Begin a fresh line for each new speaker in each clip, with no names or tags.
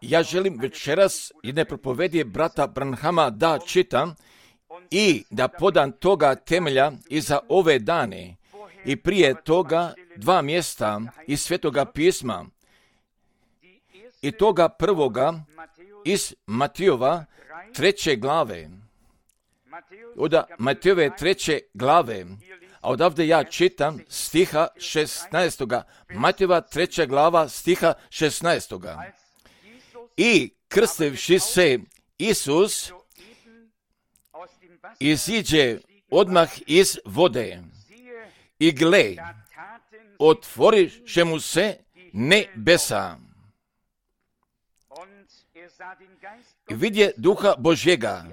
Ja želim večeras jedne propovedije brata Branhama da čitam i da podam toga temelja i za ove dane i prije toga 2 mjesta iz Svetoga pisma i toga prvoga iz Matijova 3. glave. Od Matijove 3. glave, a odavde ja čitam stiha 16. Matijova 3. glava stiha 16. I krstivši se Isus iziđe odmah iz vode i gle, otvoriše mu se nebesa. I vidje Duha Božjega,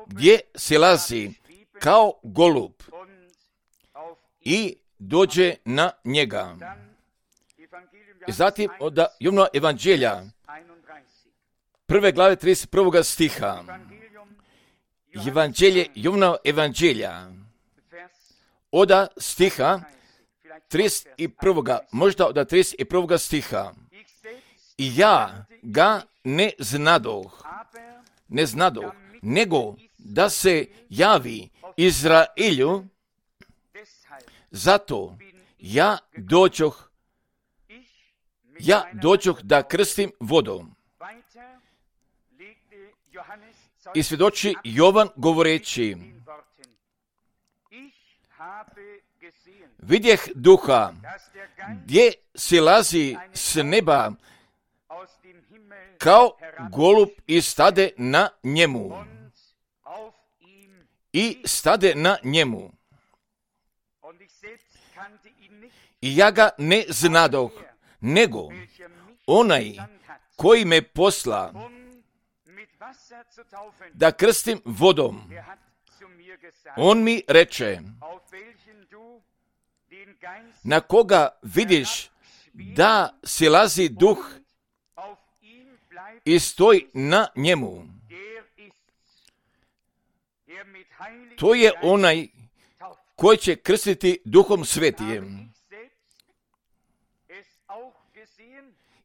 gdje silazi kao golub i dođe na njega. I zatim od Jovnova evanđelja, 1. glave 31. stiha. Evanđelje Jovnova evanđelja, od stiha 31. možda od 31. stiha. I ja ga ne znadoh, nego da se javi Izraelju, zato ja dođoh da krstim vodom. I svjedoči Jovan govoreći, vidjeh Duha, gdje silazi s neba kao golub i stade na njemu. I stade na njemu. I ja ga ne znadoh, nego onaj koji me posla da krstim vodom. On mi reče, na koga vidiš da silazi duh i stoji na njemu. To je onaj koji će krstiti Duhom Svetijem.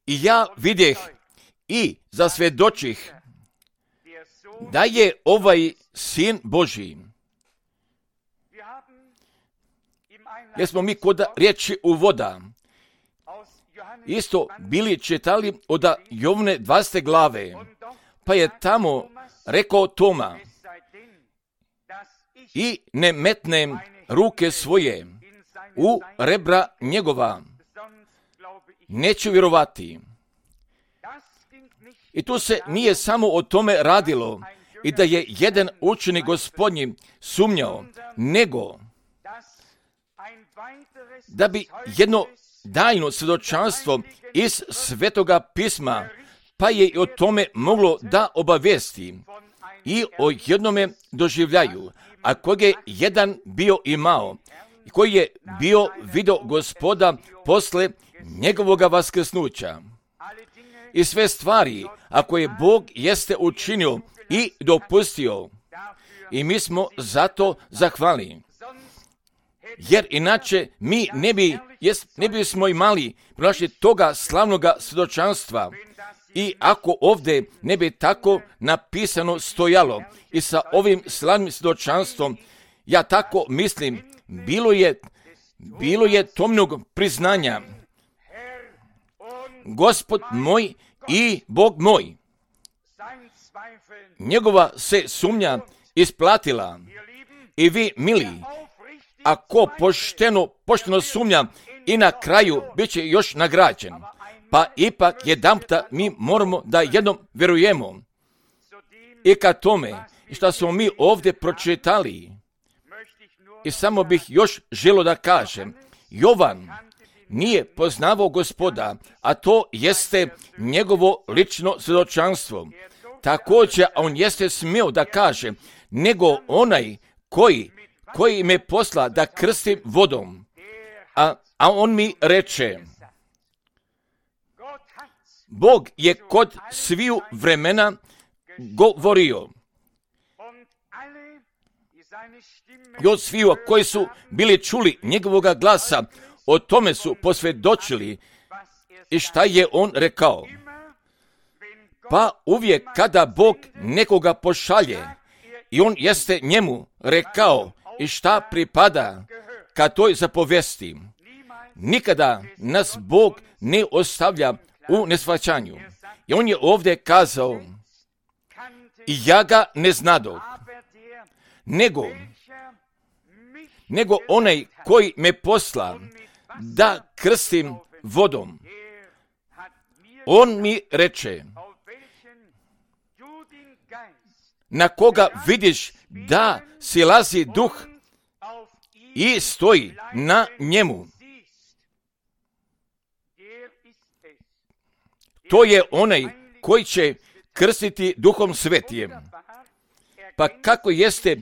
I ja vidjeh i zasvjedočih da je ovaj Sin Božji. Jer smo mi kod riječi u voda isto bili čitali od Jovne 20. glave, pa je tamo rekao Toma, i ne metnem ruke svoje u rebra njegova, neću vjerovati. I tu se nije samo o tome radilo i da je jedan učenik Gospodnji sumnjao, nego da bi jedno tajno svjedočanstvo iz Svetoga pisma, pa je i o tome moglo da obavijesti i o jednome doživljaju, a kojeg je jedan bio imao i koji je bio vidio Gospoda posle njegovoga vaskrsnuća. I sve stvari, ako je Bog jeste učinio i dopustio, i mi smo zato zahvalni. Jer inače mi ne bismo imali pronašli toga slavnoga svjedočanstva. I ako ovdje ne bi tako napisano stojalo i sa ovim slavnim svjedočanstvom, ja tako mislim, bilo je tomnog priznanja. Gospod moj i Bog moj. Njegova se sumnja isplatila. I vi, mili, ako pošteno sumnja i na kraju bit će još nagrađen. Pa ipak jedanputa mi moramo da jednom vjerujemo. I ka tome što smo mi ovdje pročitali, i samo bih još želio da kažem, Jovan nije poznavao Gospoda, a to jeste njegovo lično svjedočanstvo. Također on jeste smio da kaže, nego onaj koji me posla da krstim vodom. A on mi reče, Bog je kod sviju vremena govorio. I od sviju koji su bili čuli njegovoga glasa, o tome su posvjedočili i šta je on rekao. Pa uvijek kada Bog nekoga pošalje i on jeste njemu rekao i šta pripada ka toj zapovesti, nikada nas Bog ne ostavlja u neshvaćanju. I on je ovdje kazao, i ja ga ne znadoh, nego onaj koji me posla da krstim vodom. On mi reče, na koga vidiš da silazi duh i stoji na njemu. To je onaj koji će krstiti Duhom Svetijem. Pa kako jeste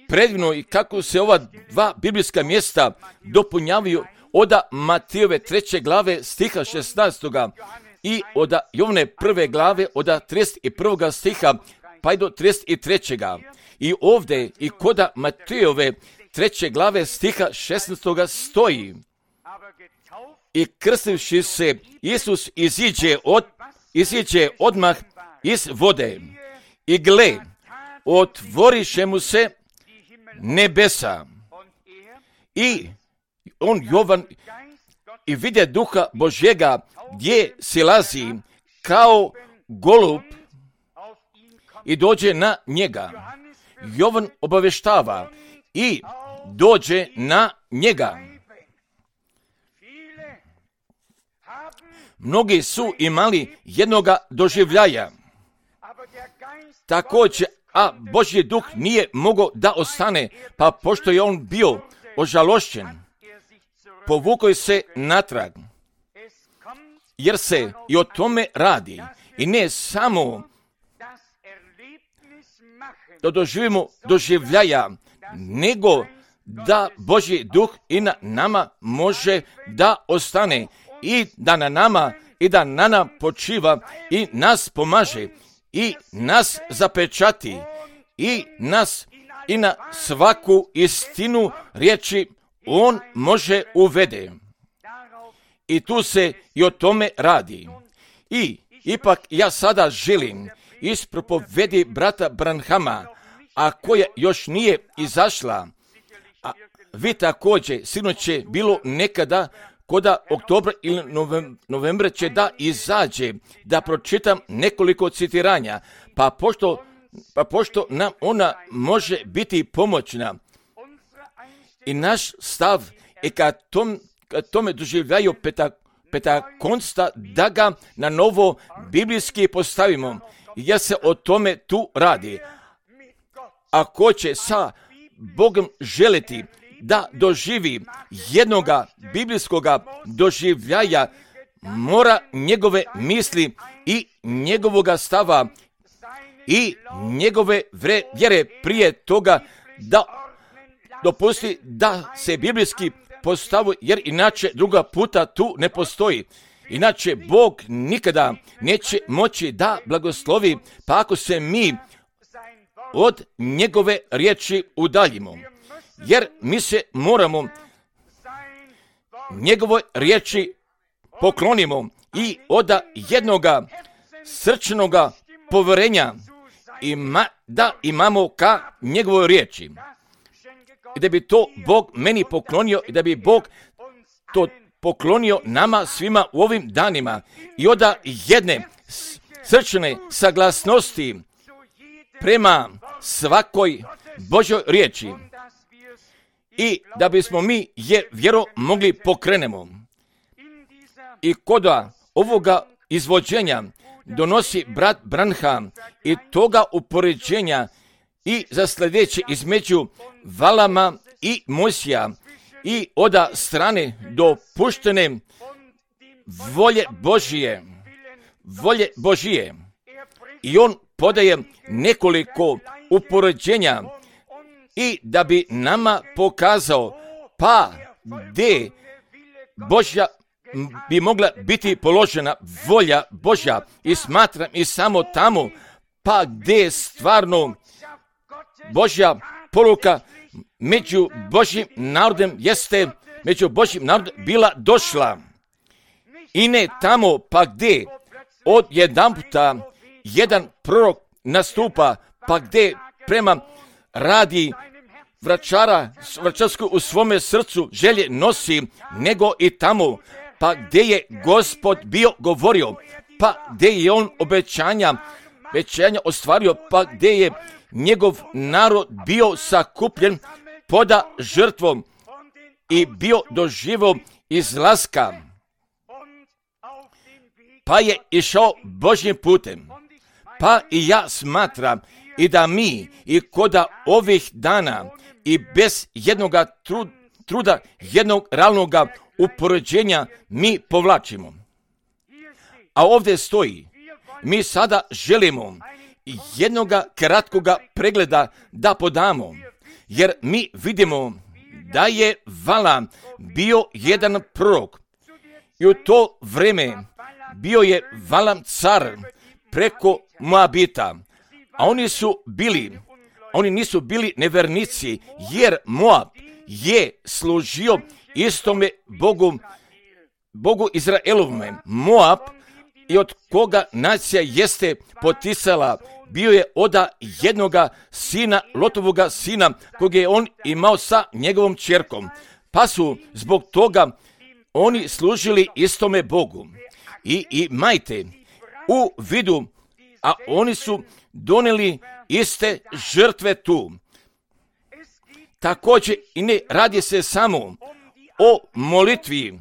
predivno i kako se ova dva biblijska mjesta dopunjavaju od Matejove 3. glave stiha 16. i od Jovne 1. glave od 31. stiha pa i do 33. I ovdje i kod Matejove 3. glave stiha 16. stoji: i krstivši se, Isus iziđe odmah iz vode. I gle, otvoriše mu se nebesa. I on, Jovan, i vide Duha Božjega gdje silazi kao golub i dođe na njega. Jovan obaveštava i dođe na njega. Mnogi su imali jednoga doživljaja. Također, a Božji duh nije mogao da ostane, pa pošto je on bio ožalošćen, povukao se natrag. Jer se i o tome radi. I ne samo da doživimo doživljaja, nego da Božji duh i na nama može da ostane i da na nama i da na nama počiva i nas pomaže i nas zapečati i nas i na svaku istinu riječi on može uvede. I tu se i o tome radi. I ipak ja sada želim iz propovedi brata Branhama, a koja još nije izašla, a vi također, sinoć je bilo nekada, koda oktobra ili novembra će da izađe, da pročitam nekoliko citiranja, pa pošto nam ona može biti pomoćna. I naš stav je kad tome doživljaju Pentakonsta, da ga na novo biblijski postavimo, jer se o tome tu radi. Ako će sa Bogom želiti da doživi jednoga biblijskoga doživljaja, mora njegove misli i njegovoga stava i njegove vjere prije toga da dopusti da se biblijski postavu, jer inače druga puta tu ne postoji. Inače Bog nikada neće moći da blagoslovi, pa ako se mi od njegove riječi udaljimo. Jer mi se moramo njegove riječi poklonimo i od jednoga srčanoga povjerenja da imamo ka njegovoj riječi. I da bi to Bog meni poklonio i da bi Bog to poklonio nama svima u ovim danima. I od jedne srčane saglasnosti prema svakoj Božoj riječi. I da bismo mi je vjero mogli pokrenemo. I kod ovoga izvođenja donosi brat Branham i toga upoređenja i za sljedeće između Valama i Mojsija i od strane dopuštene volje Božije. I on podaje nekoliko upoređenja i da bi nama pokazao pa gdje Božja bi mogla biti položena volja Božja i smatram i samo tamo pa gdje stvarno Božja poruka među Božjim narodom jeste među Božjim narodom bila došla i ne tamo pa gdje od jedanputa jedan prorok nastupa, pa gdje prema radi vračarsku u svome srcu želje nosi, nego i tamo, pa gdje je Gospod bio govorio, pa gdje je on obećanja ostvario, pa gdje je njegov narod bio sakupljen poda žrtvom i bio doživio izlaska, pa je išao Božjim putem. Pa i ja smatram i da mi i koda ovih dana i bez jednoga truda, jednog realnoga upoređenja mi povlačimo. A ovdje stoji, mi sada želimo jednoga kratkoga pregleda da podamo, jer mi vidimo da je Valam bio jedan prorok i u to vrijeme bio je Valam car preko Moabita, a oni nisu bili nevernici, jer Moab je služio istome Bogu Izraelovome. Moab i od koga nacija jeste poticala, bio je oda jednoga sina, Lotovoga sina, kog je on imao sa njegovom ćerkom. Pa su zbog toga oni služili istome Bogu. I majte u vidu, a oni su donijeli iste žrtve tu. Također i ne radi se samo o molitvi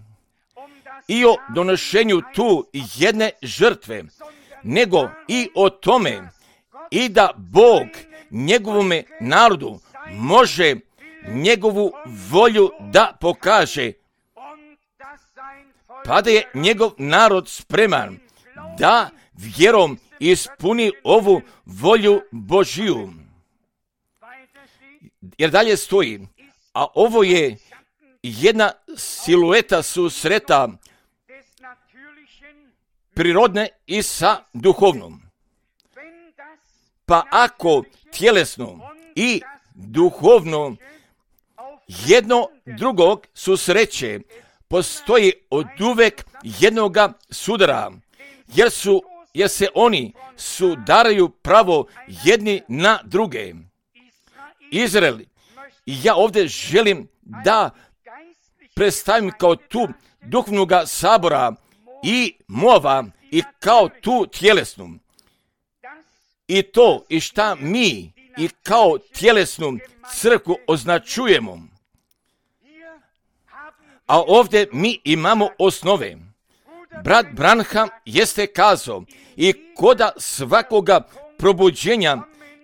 i o donošenju tu jedne žrtve, nego i o tome i da Bog njegovome narodu može njegovu volju da pokaže, pa da je njegov narod spreman da vjerom ispuni ovu volju Božiju. Jer dalje stoji, a ovo je jedna silueta susreta prirodne i sa duhovnom. Pa ako tjelesno i duhovno jedno drugog susreće, postoji oduvek jednoga sudara, jer se oni sudaraju pravo jedni na druge. Izrael, i ja ovdje želim da predstavim kao tu duhovnoga sabora i Moava i kao tu tjelesnu. I to i šta mi i kao tjelesnu crkvu označujemo. A ovdje mi imamo osnove. Brat Branham jeste kazao i koda svakoga probuđenja,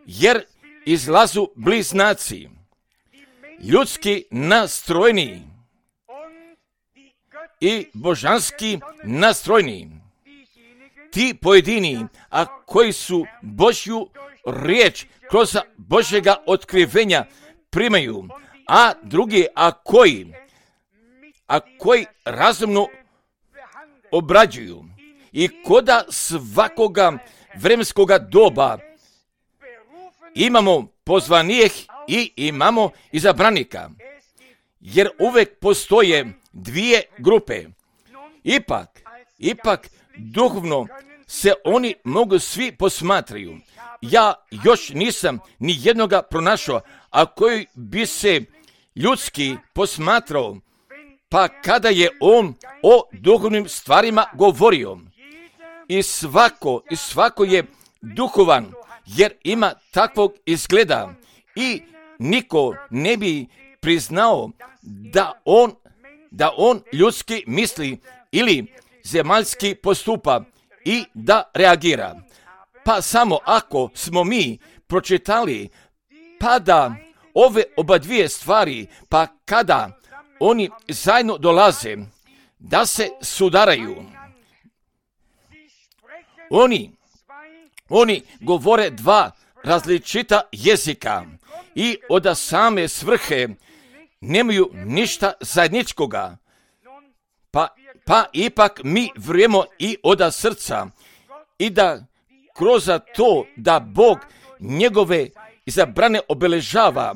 jer izlazu bliznaci, ljudski nastrojni i božanski nastrojni. Ti pojedini, a koji su Božju riječ kroz Božjega otkrivenja primaju, a drugi, a koji razumno obrađuju i koda svakoga vremenskoga doba imamo pozvanijih i imamo izabranika, jer uvek postoje dvije grupe. Ipak duhovno se oni mogu svi posmatraju. Ja još nisam ni jednoga pronašao, a koji bi se ljudski posmatrao, pa kada je on o duhovnim stvarima govorio. I svako je duhovan, jer ima takvog izgleda i niko ne bi priznao da on ljudski misli ili zemaljski postupa i da reagira. Pa samo ako smo mi pročitali pa da ove oba dvije stvari, pa kada oni zajedno dolaze da se sudaraju, oni govore dva različita jezika i od same svrhe nemaju ništa zajedničkoga. Pa ipak mi vjerujemo i od srca i da kroz to da Bog njegove izabrane obeležava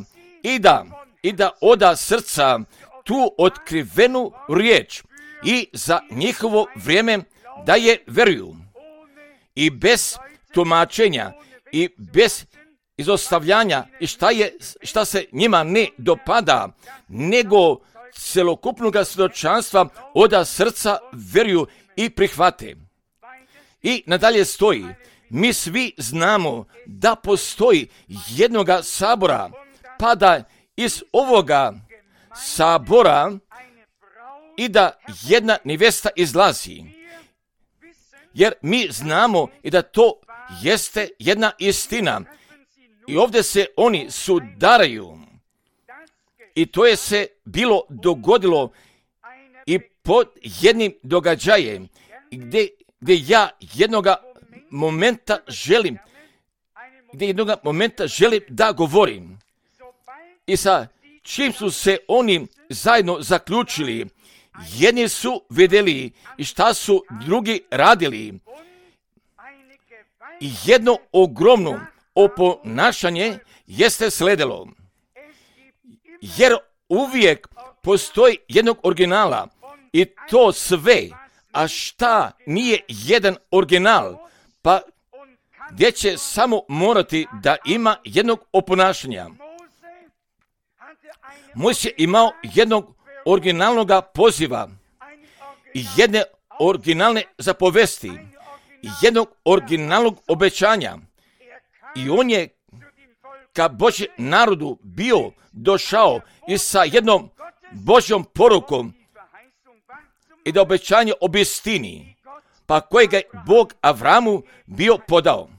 i da od srca tu otkrivenu riječ i za njihovo vrijeme da je vjeruju. I bez tumačenja i bez izostavljanja i šta se njima ne dopada, nego celokupnog svjedočanstva od srca veruju i prihvate. I nadalje stoji, mi svi znamo da postoji jednoga sabora, pa da iz ovoga sabora i da jedna nevesta izlazi. Jer mi znamo i da to jeste jedna istina. I ovdje se oni sudaraju. I to je se bilo dogodilo i pod jednim događajem gdje ja jednoga momenta želim da govorim. I sa čim su se oni zajedno zaključili, jedni su vidjeli i šta su drugi radili. I jedno ogromno oponašanje jeste sledilo. Jer uvijek postoji jednog originala i to sve, a šta nije jedan original, pa gdje će samo morati da ima jednog oponašanja. Mojsije imao jednog originalnog poziva i jedne originalne zapovesti i jednog originalnog obećanja. I on je ka Božjem narodu bio došao i sa jednom Božjom porukom i da obećanje obistini, pa kojega je Bog Avramu bio podao.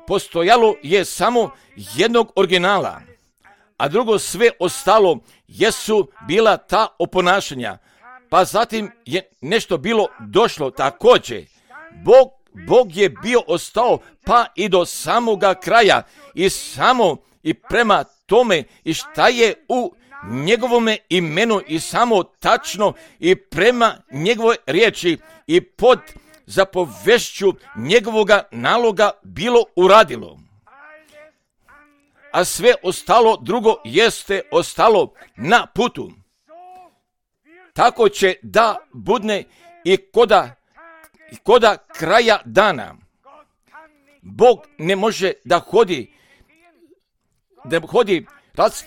Postojalo je samo jednog originala, a drugo sve ostalo jesu bila ta oponašanja. Pa zatim je nešto bilo došlo također. Bog je bio ostao pa i do samoga kraja i prema tome i šta je u njegovome imenu i samo tačno i prema njegovoj riječi i pod zapovešću njegovoga naloga bilo uradilo. A sve ostalo drugo jeste ostalo na putu. Tako će da budne i koda kraja dana. Bog ne može da hodi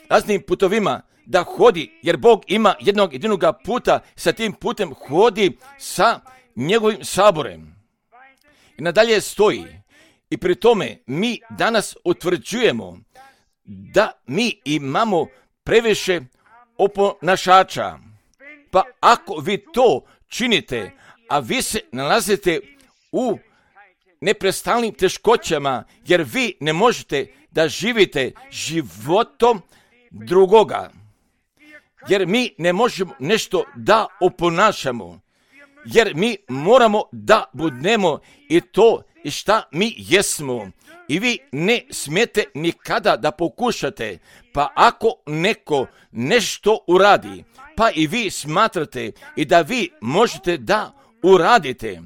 raznim putovima, da hodi, jer Bog ima jednog jedinog puta, sa tim putem hodi sa njegovim saborem. I nadalje stoji, i pri tome mi danas utvrđujemo da mi imamo previše oponašača. Pa ako vi to činite, a vi se nalazite u neprestalnim teškoćama, jer vi ne možete da živite životom drugoga, jer mi ne možemo nešto da oponašamo, jer mi moramo da budemo i to i šta mi jesmo. I vi ne smijete nikada da pokušate, pa ako neko nešto uradi, pa i vi smatrate i da vi možete da uradite,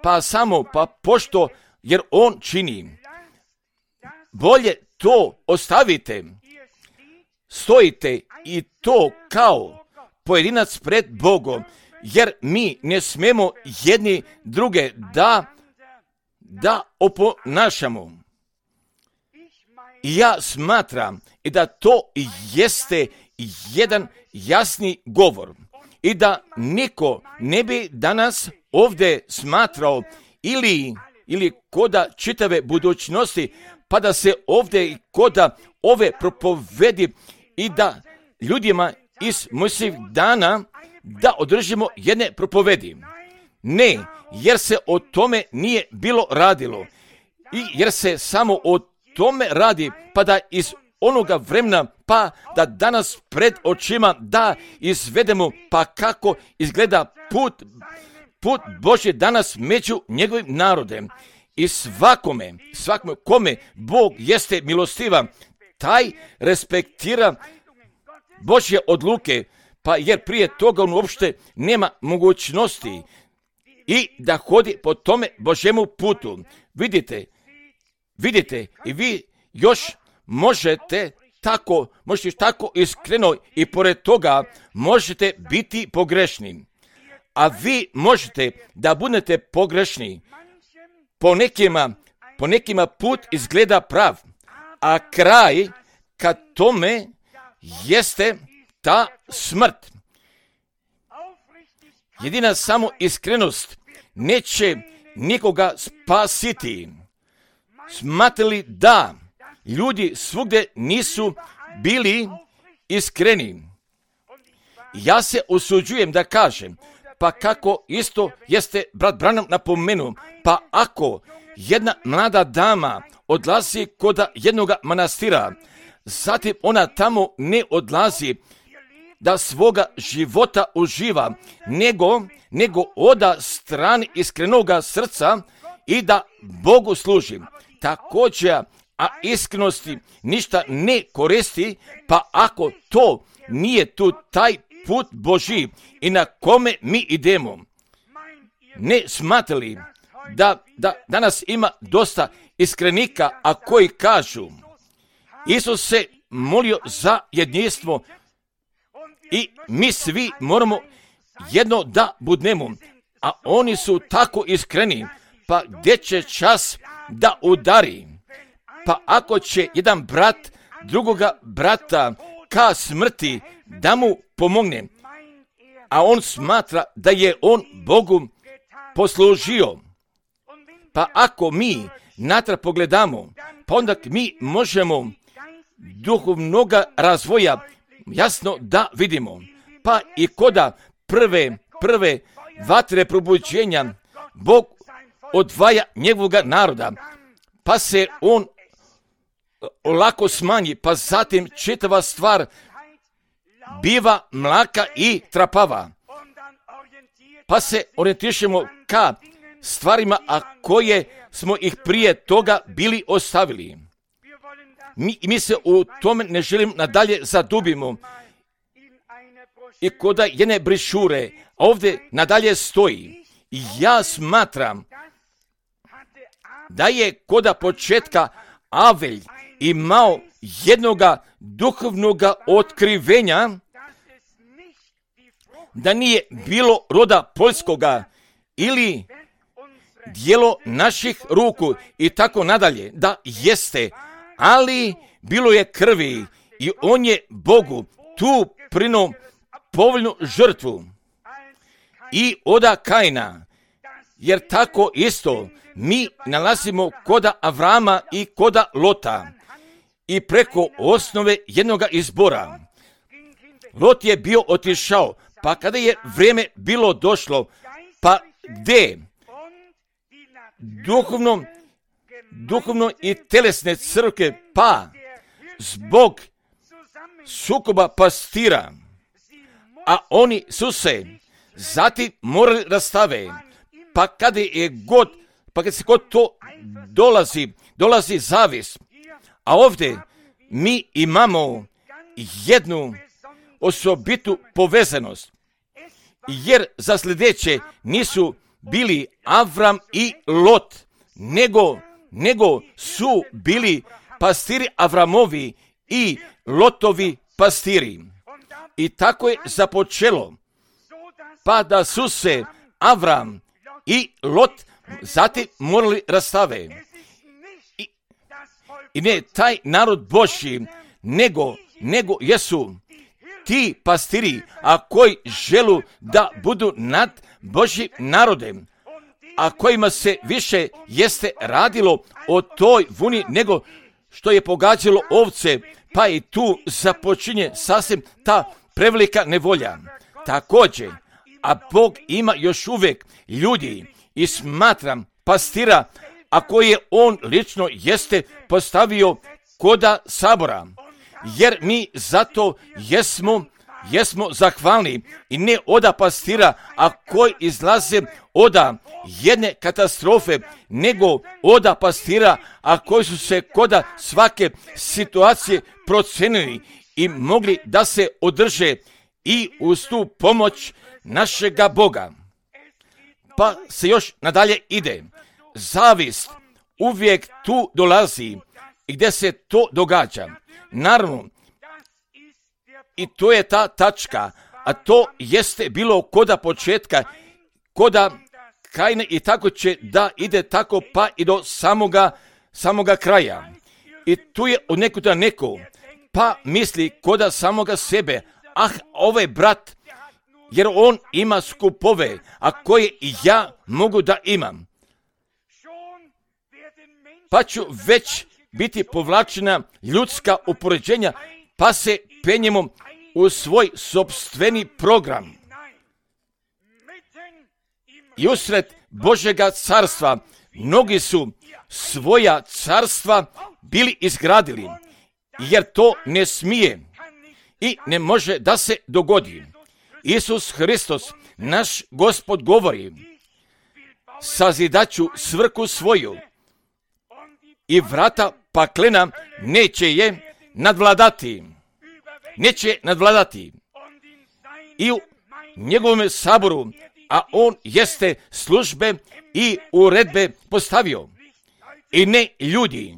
pa pošto, jer on čini, bolje to ostavite, stojite i to kao pojedinac pred Bogom, jer mi ne smemo jedni druge da oponašamo. I ja smatram i da to jeste jedan jasni govor i da niko ne bi danas ovdje smatrao ili koda čitave budućnosti, pa da se ovdje koda ove propovedi i da ljudima iz Mojsijevih dana da održimo jedne propovedi. Ne, jer se o tome nije bilo radilo i jer se samo o tome radi, pa da iz onoga vremena, pa da danas pred očima da izvedemo, pa kako izgleda put Božje danas među njegovim narodem. I svakome kome Bog jeste milostivan, taj respektira Božje odluke, pa jer prije toga on uopšte nema mogućnosti i da hodi po tome Božjemu putu. Vidite i vi još možete tako iskreno i pored toga možete biti pogrešni. A vi možete da budete pogrešni, po nekima put izgleda prav, a kraj ka tome jeste ta smrt. Jedina samo iskrenost neće nikoga spasiti. Smatrali da ljudi svugdje nisu bili iskreni. Ja se usuđujem da kažem, pa kako isto jeste brat Branham napomenuo, pa ako jedna mlada dama odlazi kod jednog manastira, zatim ona tamo ne odlazi da svoga života uživa, nego oda strani iskrenoga srca i da Bogu služi. Također, a iskrenosti ništa ne koristi, pa ako to nije tu taj put Božji i na kome mi idemo, ne smatrali da danas ima dosta iskrenika, a koji kažu Isus se molio za jedinstvo i mi svi moramo jedno da budnemo, a oni su tako iskreni, pa gdje će čas da udari? Pa ako će jedan brat drugoga brata ka smrti da mu pomogne, a on smatra da je on Bogu poslužio, pa ako mi natrag pogledamo, pa onda mi možemo duhovnoga razvoja jasno da vidimo. Pa i koda prve vatre probuđenja Bog odvaja njegovoga naroda, pa se on lako smanji, pa zatim čitava stvar biva mlaka i trapava. Pa se orijentišemo ka stvarima, a koje smo ih prije toga bili ostavili. Mi se u tome ne želimo nadalje zadubimo. I koda jedne brišure, ovdje nadalje stoji, ja smatram da je koda početka Avelj imao jednoga duhovnoga otkrivenja, da nije bilo roda poljskoga ili dijelo naših ruku i tako nadalje, da jeste, ali bilo je krvi i on je Bogu tu prinuo povoljnu žrtvu i oda Kaina, jer tako isto mi nalazimo koda Avrama i koda Lota i preko osnove jednoga izbora. Lot je bio otišao, pa kada je vrijeme bilo došlo, pa gdje duhovno i telesne crkve, pa zbog sukoba pastira, a oni su se zatim morali rastave, pa kada se kod to dolazi zavis, a ovdje mi imamo jednu osobitu povezanost, jer za sljedeće nisu bili Avram i Lot, nego su bili pastiri Avramovi i Lotovi pastiri. I tako je započelo, pa da su se Avram i Lot zatim morali rastave. I ne taj narod Božji, nego jesu ti pastiri, a koji želu da budu nad Božjim narodem, a kojima se više jeste radilo o toj vuni nego što je pogađalo ovce, pa i tu započinje sasvim ta prevelika nevolja. Također, a Bog ima još uvijek ljudi i smatram pastira, a koje on lično jeste postavio koda sabora, jer mi zato jesmo zahvalni i ne oda pastira, a koji izlaze oda jedne katastrofe, nego oda pastira, a koji su se koda svake situacije procenili i mogli da se održe i uz tu pomoć našega Boga. Pa se još nadalje ide. Zavist uvijek tu dolazi i gdje se to događa. Naravno, i to je ta tačka, a to jeste bilo koda početka, koda Kaina i tako će da ide tako pa i do samoga kraja. I tu je od nekuda neko, pa misli koda samoga sebe, ovaj brat, jer on ima skupove, a koje i ja mogu da imam. Pa ću već biti povlačena ljudska upoređenja, pa se penjemo u svoj sopstveni program. I usred Božjega carstva mnogi su svoja carstva bili izgradili, jer to ne smije i ne može da se dogodi. Isus Hristos, naš Gospod, govori: sazidaću svrhu svoju i vrata paklena neće je nadvladati. Neće nadvladati. I u njegovom saboru, a on jeste službe i uredbe postavio. I ne ljudi,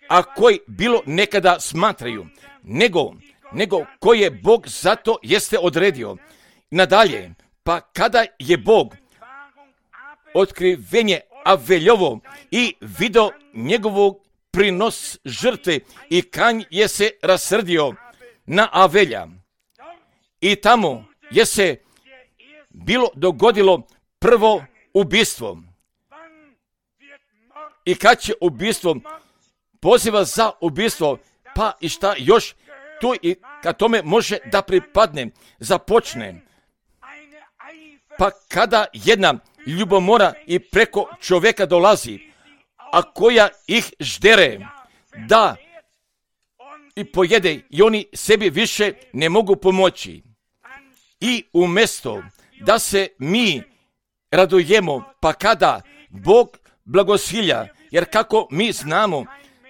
a koji bilo nekada smatraju, nego koje Bog zato jeste odredio. Nadalje, pa kada je Bog otkrivenje Aveljovo i video njegovog prinos žrtve i Kain je se rasrdio na Avelja. I tamo je se bilo dogodilo prvo ubistvo. I kad će ubistvo poziva za ubistvo, pa i šta još tu i kad tome može da pripadne, započne. Pa kada jedna ljubomora i preko čovjeka dolazi, a koja ih ždere, da i pojede i oni sebi više ne mogu pomoći. I umjesto da se mi radujemo, pa kada Bog blagosilja, jer kako mi znamo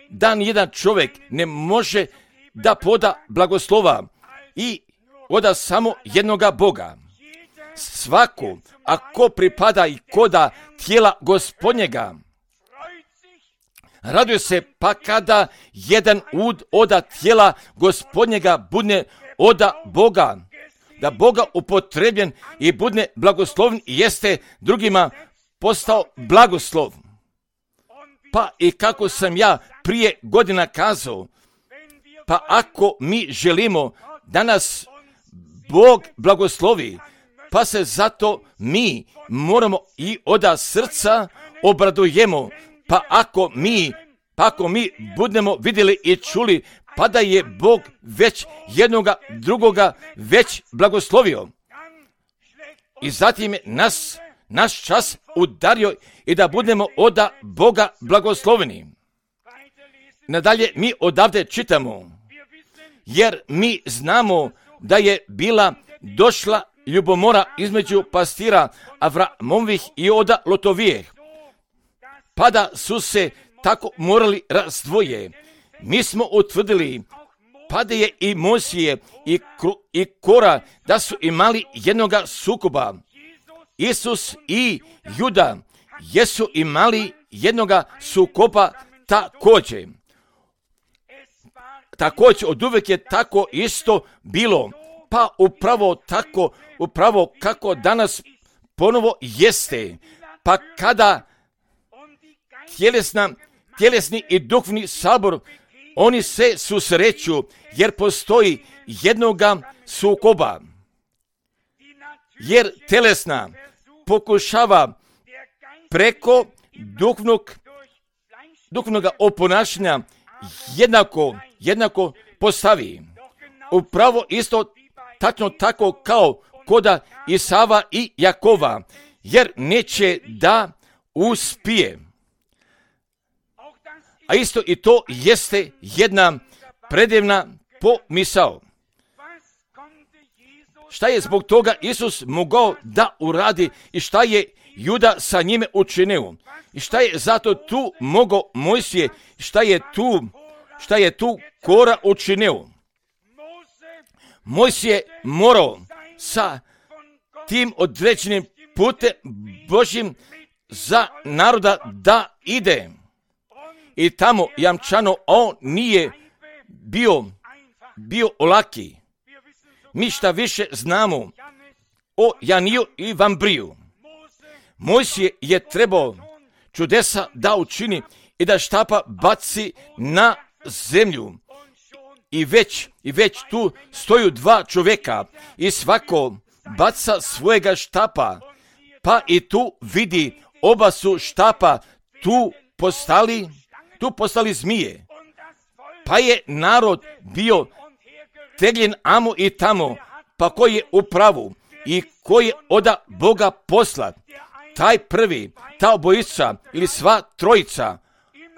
da nijedan čovjek ne može da poda blagoslova i oda samo jednoga Boga. Svako, ako pripada i koda tijela Gospodnjega, raduje se pa kada jedan ud oda tijela Gospodnjega budne oda Boga, da Boga upotrebljen i budne blagosloven i jeste drugima postao blagoslov. Pa i kako sam ja prije godina kazao, pa ako mi želimo da nas Bog blagoslovi, pa se zato mi moramo i oda srca obradujemo, pa ako mi budemo vidjeli i čuli, pa da je Bog već jednoga drugoga već blagoslovio. I zatim je naš čas udario i da budemo oda Boga blagosloveni. Nadalje mi odavde čitamo, jer mi znamo da je bila došla ljubomora između pastira Avramovih i oda Lotovijeh, pa da su se tako morali razdvoje. Mi smo utvrdili, pa da je i Mojsije i Kora da su imali jednoga sukoba. Isus i Juda jesu imali jednoga sukoba također. Također od uvijek je tako isto bilo, pa upravo kako danas ponovo jeste, pa kada tjelesni i duhovni sabor, oni se susreću, jer postoji jednoga sukoba. Jer telesna pokušava preko duhovnog oponašanja jednako postavi. Upravo isto tačno tako kao koda Isava i Jakova, jer neće da uspije. A isto i to jeste jedna predivna pomisao. Šta je zbog toga Isus mogao da uradi i šta je Juda sa njime učinio? I šta je zato tu mogao Mojsije? Šta je tu Kora učinio? Mojsije morao sa tim određenim putem Božjim za naroda da ide. I tamo jamčano on nije bio olaki. Mi šta više znamo o Janiju i Vambriju. Mojsije je trebao čudesa da učini i da štapa baci na zemlju. I već tu stoju dva čovjeka i svako baca svojega štapa, pa i tu vidi oba su štapa tu postali zmije. Pa je narod bio tegljen amo i tamo, pa ko je u pravu i ko je oda Boga poslat, taj prvi, ta obojica ili sva trojica,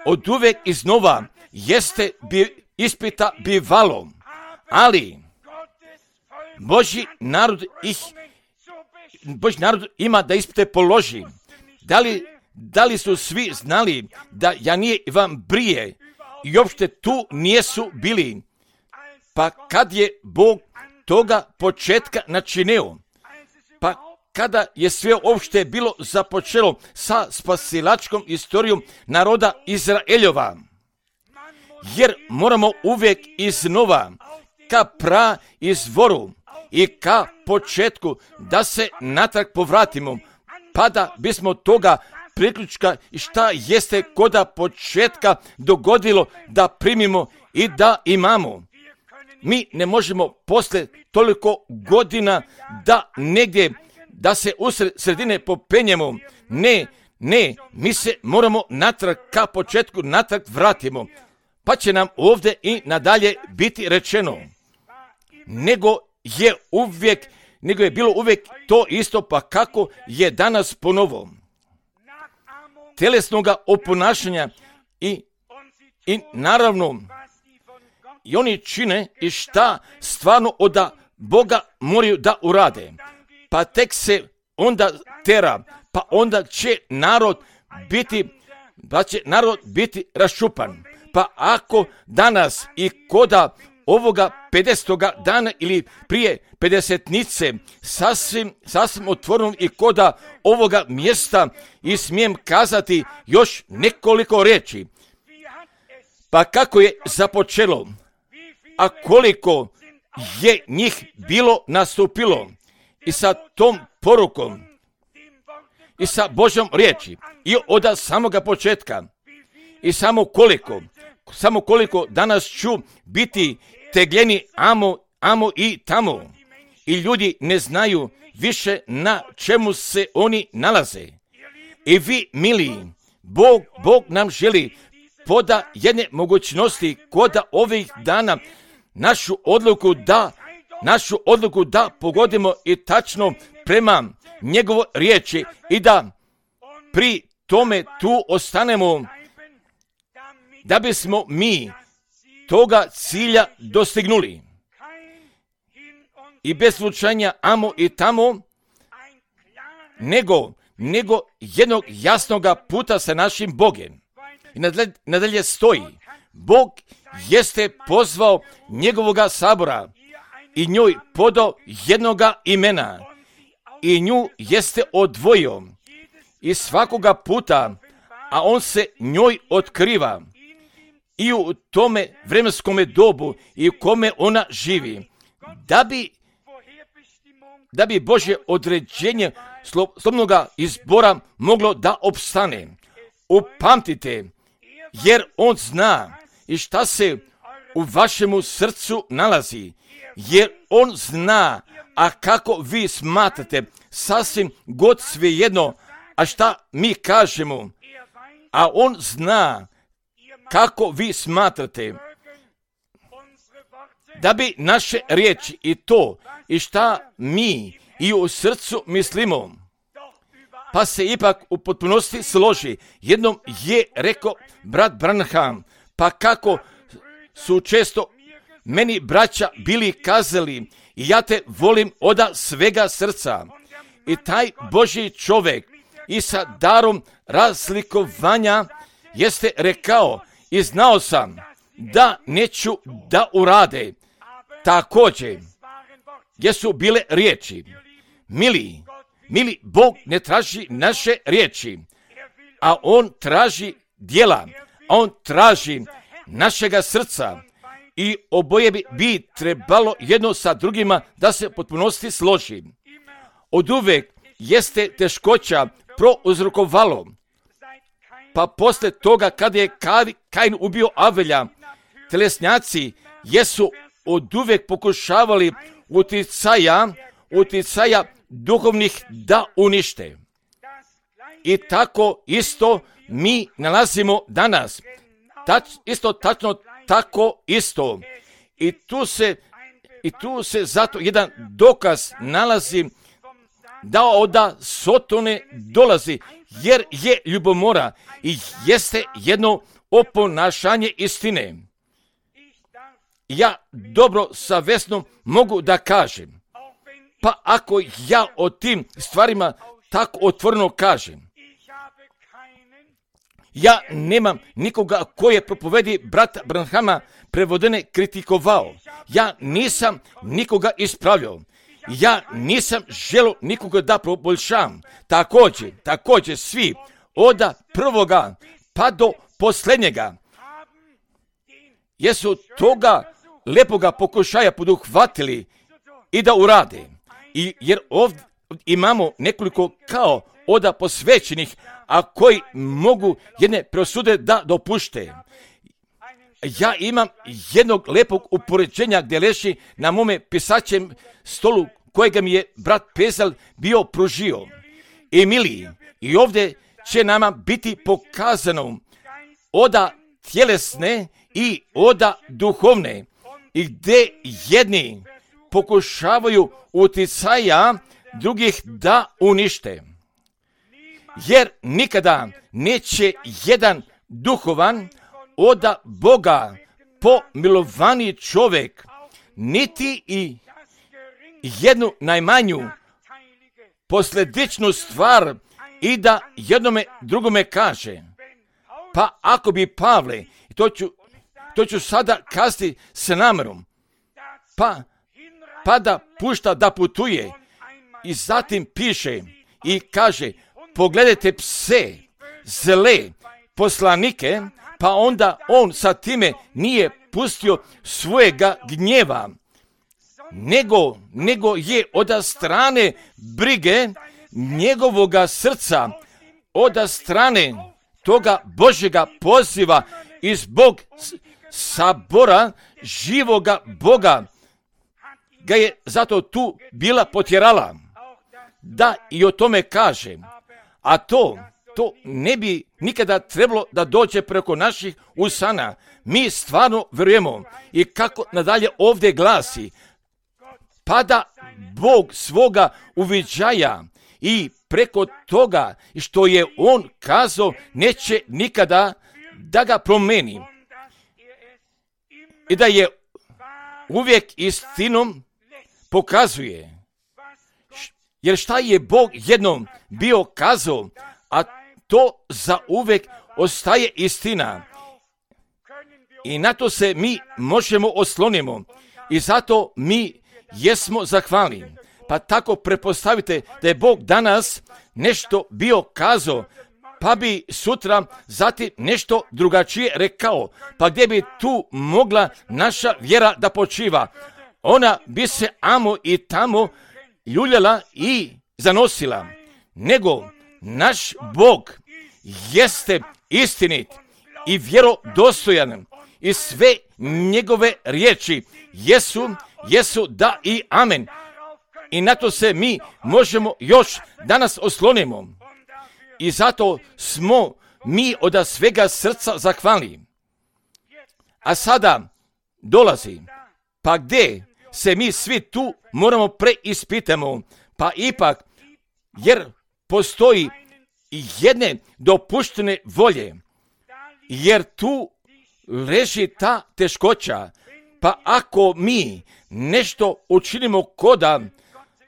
od uvek iznova jeste ispita bivalo, ali Božji narod ima da ispite položi. Da li su svi znali da Janije i Vambrije i uopšte tu nijesu bili? Pa kad je Bog toga početka načinio, pa kada je sve uopšte bilo započelo sa spasilačkom istorijom naroda Izraeljova, jer moramo uvijek iznova ka izvoru i ka početku da se natrag povratimo, pa da bismo toga priključka i šta jeste koda početka dogodilo da primimo i da imamo. Mi ne možemo posle toliko godina da negdje, da se u sredine popenjemo. Ne, mi se moramo natrag ka početku natrag vratimo. Pa će nam ovdje i nadalje biti rečeno, nego je bilo uvijek to isto, pa kako je danas ponovo. Telesnoga oponašanja i naravno i oni čine i šta stvarno od Boga moraju da urade. Pa tek se onda tera, pa onda će narod biti raščupan. Pa ako danas i koda ovoga 50. dana ili prije 50-nice sasvim otvoreno i koda ovoga mjesta i smijem kazati još nekoliko riječi. Pa kako je započelo, a koliko je njih bilo nastupilo i sa tom porukom i sa Božjom riječi i od samoga početka i samo koliko danas ću biti tegljeni amo i tamo i ljudi ne znaju više na čemu se oni nalaze. I vi, mili, Bog nam želi poda jedne mogućnosti koda ovih dana našu odluku da pogodimo i tačno prema njegovoj riječi i da pri tome tu ostanemo, da bismo mi toga cilja dostignuli. I bez slučanja amo i tamo, nego jednog jasnoga puta sa našim Bogem. I nadalje stoji, Bog jeste pozvao njegovoga sabora i njoj podao jednoga imena i nju jeste odvojio i svakoga puta, a on se njoj otkriva i u tome vremenskome dobu i u kome ona živi, da bi Božje određenje slobodnoga izbora moglo da opstane. Upamtite, jer on zna i šta se u vašemu srcu nalazi, jer on zna, a kako vi smatrate, sasvim god svejedno, a šta mi kažemo, a on zna kako vi smatrate, da bi naše riječi i to i šta mi i u srcu mislimo, pa se ipak u potpunosti složi. Jednom je rekao brat Branham, pa kako su često meni braća bili kazali i ja te volim od svega srca. I taj Božji čovjek i sa darom razlikovanja jeste rekao i znao sam da neću da urade. Također, jesu bile riječi. Mili, Bog ne traži naše riječi, a on traži djela, a on traži našega srca i oboje bi trebalo jedno sa drugima da se potpunosti složi. Od uvek jeste teškoća prouzrokovalo. Pa posle toga kada je Kain ubio Avelja, telesnjaci jesu oduvek pokušavali uticaja duhovnih da unište. I tako isto mi nalazimo danas. Isto tačno tako isto. I tu se zato jedan dokaz nalazi da od Sotone dolazi, jer je ljubomora i jeste jedno oponašanje istine. Ja dobro savjesno mogu da kažem, pa ako ja o tim stvarima tako otvoreno kažem, ja nemam nikoga koji je propovedi brata Branhama prevodene kritikovao. Ja nisam nikoga ispravljao. Ja nisam želio nikoga da poboljšam. Također svi od prvoga pa do posljednjega jesu toga lepoga pokušaja poduhvatili i da urade. Jer ovdje imamo nekoliko kao od posvećenih, a koji mogu jedne presude da dopušte. Ja imam jednog lepog upoređenja gdje leži na mome pisaćem stolu kojega mi je brat Pezel bio pružio. Emiliji, i ovdje će nama biti pokazano oda tjelesne i oda duhovne, i gdje jedni pokušavaju uticaja drugih da unište. Jer nikada neće jedan duhovan od Boga pomilovani čovjek, niti i jednu najmanju posljedičnu stvar i da jednome drugome kaže. Pa ako bi Pavle, to ću sada kazati s namjerom, pa da pušta da putuje i zatim piše i kaže, pogledajte pse, zle poslanike, pa onda on sa time nije pustio svojega gnjeva, nego je od strane brige njegovoga srca, od strane toga Božjega poziva i zbog sabora živoga Boga ga je zato tu bila potjerala da i o tome kaže. A to ne bi nikada trebalo da dođe preko naših usana. Mi stvarno vjerujemo i kako nadalje ovdje glasi, pa da Bog svoga uviđaja i preko toga što je on kazao neće nikada da ga promeni i da je uvijek istinom pokazuje. Jer šta je Bog jednom bio kazao, a to za uvijek ostaje istina. I na to se mi možemo oslonimo. I zato mi jesmo zahvalni. Pa tako prepostavite da je Bog danas nešto bio kazao, pa bi sutra zatim nešto drugačije rekao. Pa gdje bi tu mogla naša vjera da počiva? Ona bi se amo i tamo ljuljala i zanosila. Nego naš Bog jeste istinit i vjerodostojan i sve njegove riječi jesu da i amen. I na to se mi možemo još danas oslonimo. I zato smo mi od svega srca zahvalni. A sada dolazi, pa gdje se mi svi tu moramo preispitamo, pa ipak, jer postoji jedne dopuštene volje, jer tu leži ta teškoća, pa ako mi nešto učinimo koda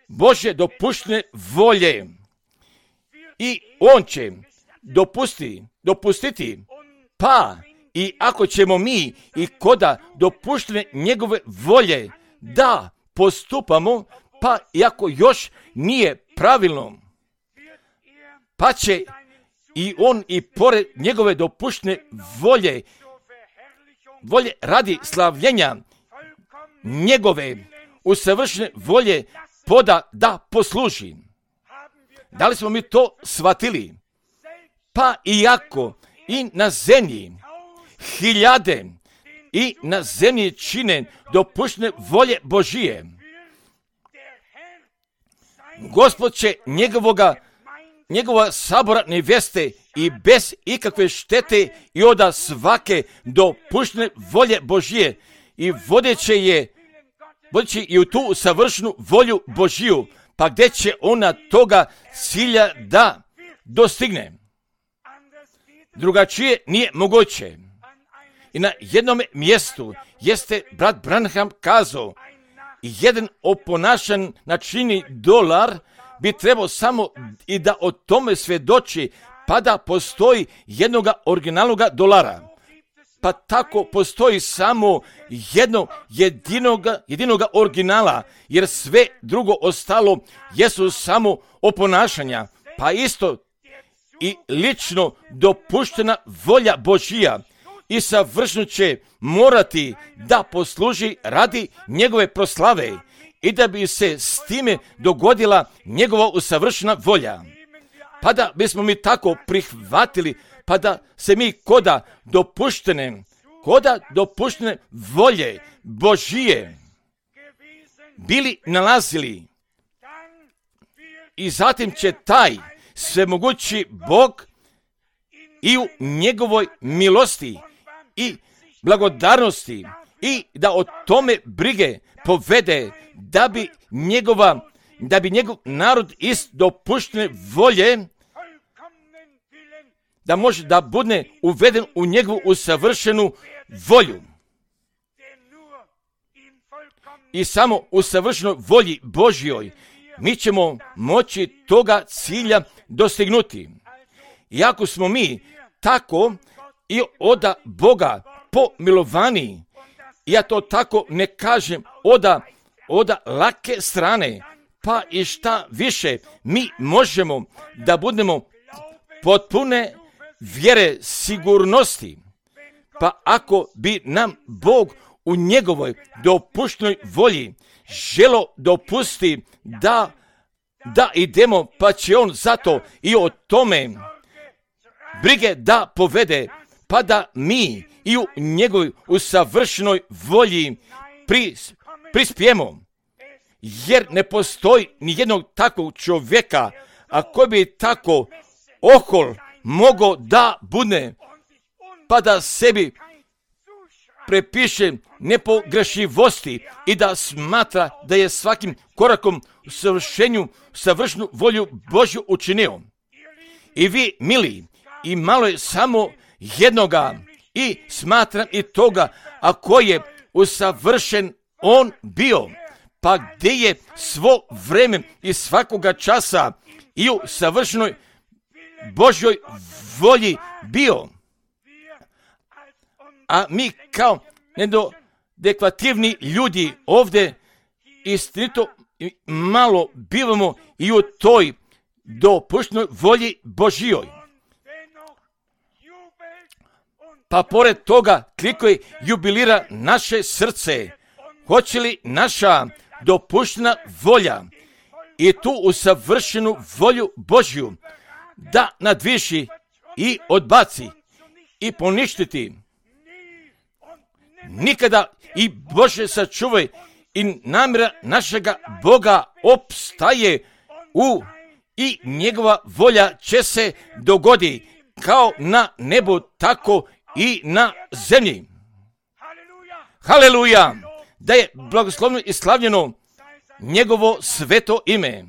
Božje dopuštene volje, i on će dopustiti, pa i ako ćemo mi i koda dopuštene njegove volje da postupamo, pa iako još nije pravilno, pa će i on i pored njegove dopuštene volje radi slavljenja njegove usavršene volje poda da posluži. Da li smo mi to shvatili? Pa iako i na zemlji hiljade i na zemlji čine dopuštene volje Božije, Gospod će njegova sabora neveste i bez ikakve štete i od svake dopuštene volje Božije i vodeće i u tu savršenu volju Božiju, pa gdje će ona toga cilja da dostigne. Drugačije nije moguće. I na jednom mjestu jeste brat Branham kazao, jedan oponašan načini dolar bi trebao samo i da o tome svjedoči, pa da postoji jednog originalnog dolara. Pa tako postoji samo jedinog originala, jer sve drugo ostalo jesu samo oponašanja. Pa isto i lično dopuštena volja Božija i savršeno će morati da posluži radi njegove proslave i da bi se s time dogodila njegova usavršena volja. Pa da bismo mi tako prihvatili, pa da se mi koda dopuštene volje Božije bili nalazili. I zatim će taj svemogući Bog i u njegovoj milosti i blagodarnosti i da o tome brige povede, da bi njegov narod iz dopuštene volje da može da bude uveden u njegovu usavršenu volju. I samo u savršenoj volji Božjoj mi ćemo moći toga cilja dostignuti. Iako smo mi tako i od Boga pomilovani, ja to tako ne kažem od lake strane, pa i šta više, mi možemo da budemo potpune vjere sigurnosti. Pa ako bi nam Bog u njegovoj dopuštenoj volji želo dopusti da idemo, pa će on zato i o tome brige da povede, pa da mi i u njegovoj usavršenoj volji prispijemo. Jer ne postoji ni jednog takvog čovjeka, a koji bi tako ohol mogao da bude, pa da sebi prepiše nepogrešivosti i da smatra da je svakim korakom u savršenu volju Božju učinio. I vi, mili, i malo je samo jednoga i smatram i toga, ako je usavršen on bio, pa gdje je svo vreme i svakoga časa i u savršenoj Božjoj volji bio. A mi kao nedekvativni ljudi ovdje istinito malo bivamo i u toj dopuštenoj volji Božjoj. Pa pored toga kliko jubilira naše srce, hoće li naša dopuštena volja i tu usavršenu volju Božju da nadviši i odbaci i poništiti. Nikada i Bože sačuvaj i namjera našega Boga opstaje i njegova volja će se dogodi kao na nebu, tako i na zemlji. Haleluja! Da je blagoslovno i slavljeno njegovo sveto ime.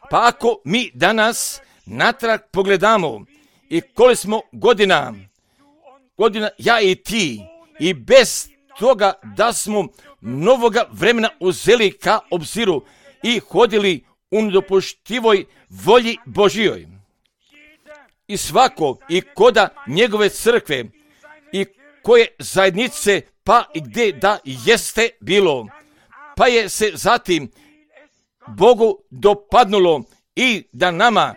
Pa ako mi danas natrag pogledamo i koliko smo godina ja i ti, i bez toga da smo novoga vremena uzeli ka obziru i hodili u nedopuštivoj volji Božjoj. I svako i koda njegove crkve i koje zajednice, pa i gdje da jeste bilo, pa je se zatim Bogu dopadnulo i da nama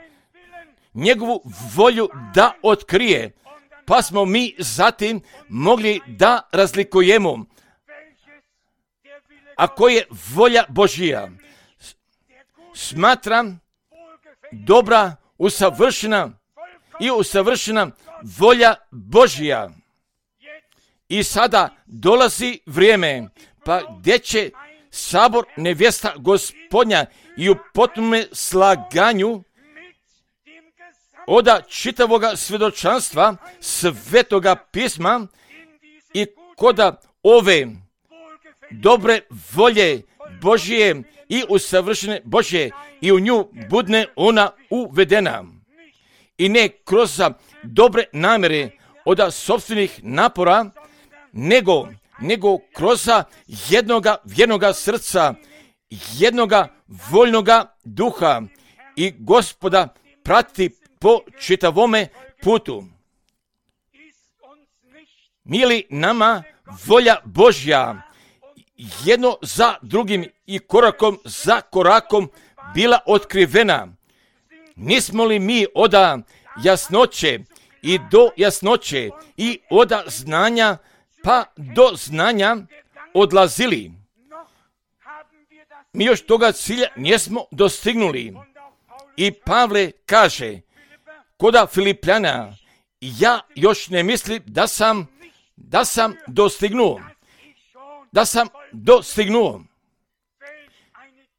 njegovu volju da otkrije, pa smo mi zatim mogli da razlikujemo ako je volja Božija. Smatram dobra, usavršena volja Božja. I sada dolazi vrijeme, pa gdje će sabor nevjesta Gospodnja i u potpunome slaganju od čitavoga svjedočanstva Svetoga pisma i koda ove dobre volje Božje i usavršene Božje i u nju budne ona uvedena. I ne kroz dobre namjere od sopstvenih napora, nego kroz jednoga vjernoga srca, jednoga voljnoga duha i Gospoda prati po čitavome putu. Mili nama volja Božja jedno za drugim i korakom za korakom bila otkrivena. Nismo li mi od jasnoće i do jasnoće i od znanja pa do znanja odlazili? Mi još toga cilja nismo dostignuli. I Pavle kaže koda Filipljana, ja još ne mislim da sam dostignuo.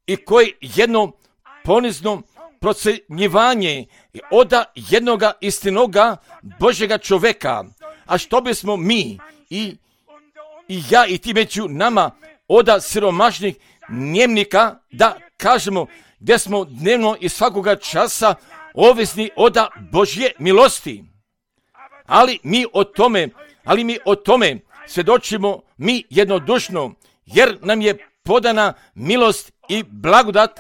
I koji jedno ponizno procjenjivanje od jednoga istinoga Božjega čoveka. A što bismo mi i ja i ti među nama od siromašnih njemnika da kažemo gdje smo dnevno i svakoga časa ovisni od Božje milosti. Ali mi o tome svjedočimo mi jednodušno, jer nam je podana milost i blagodat,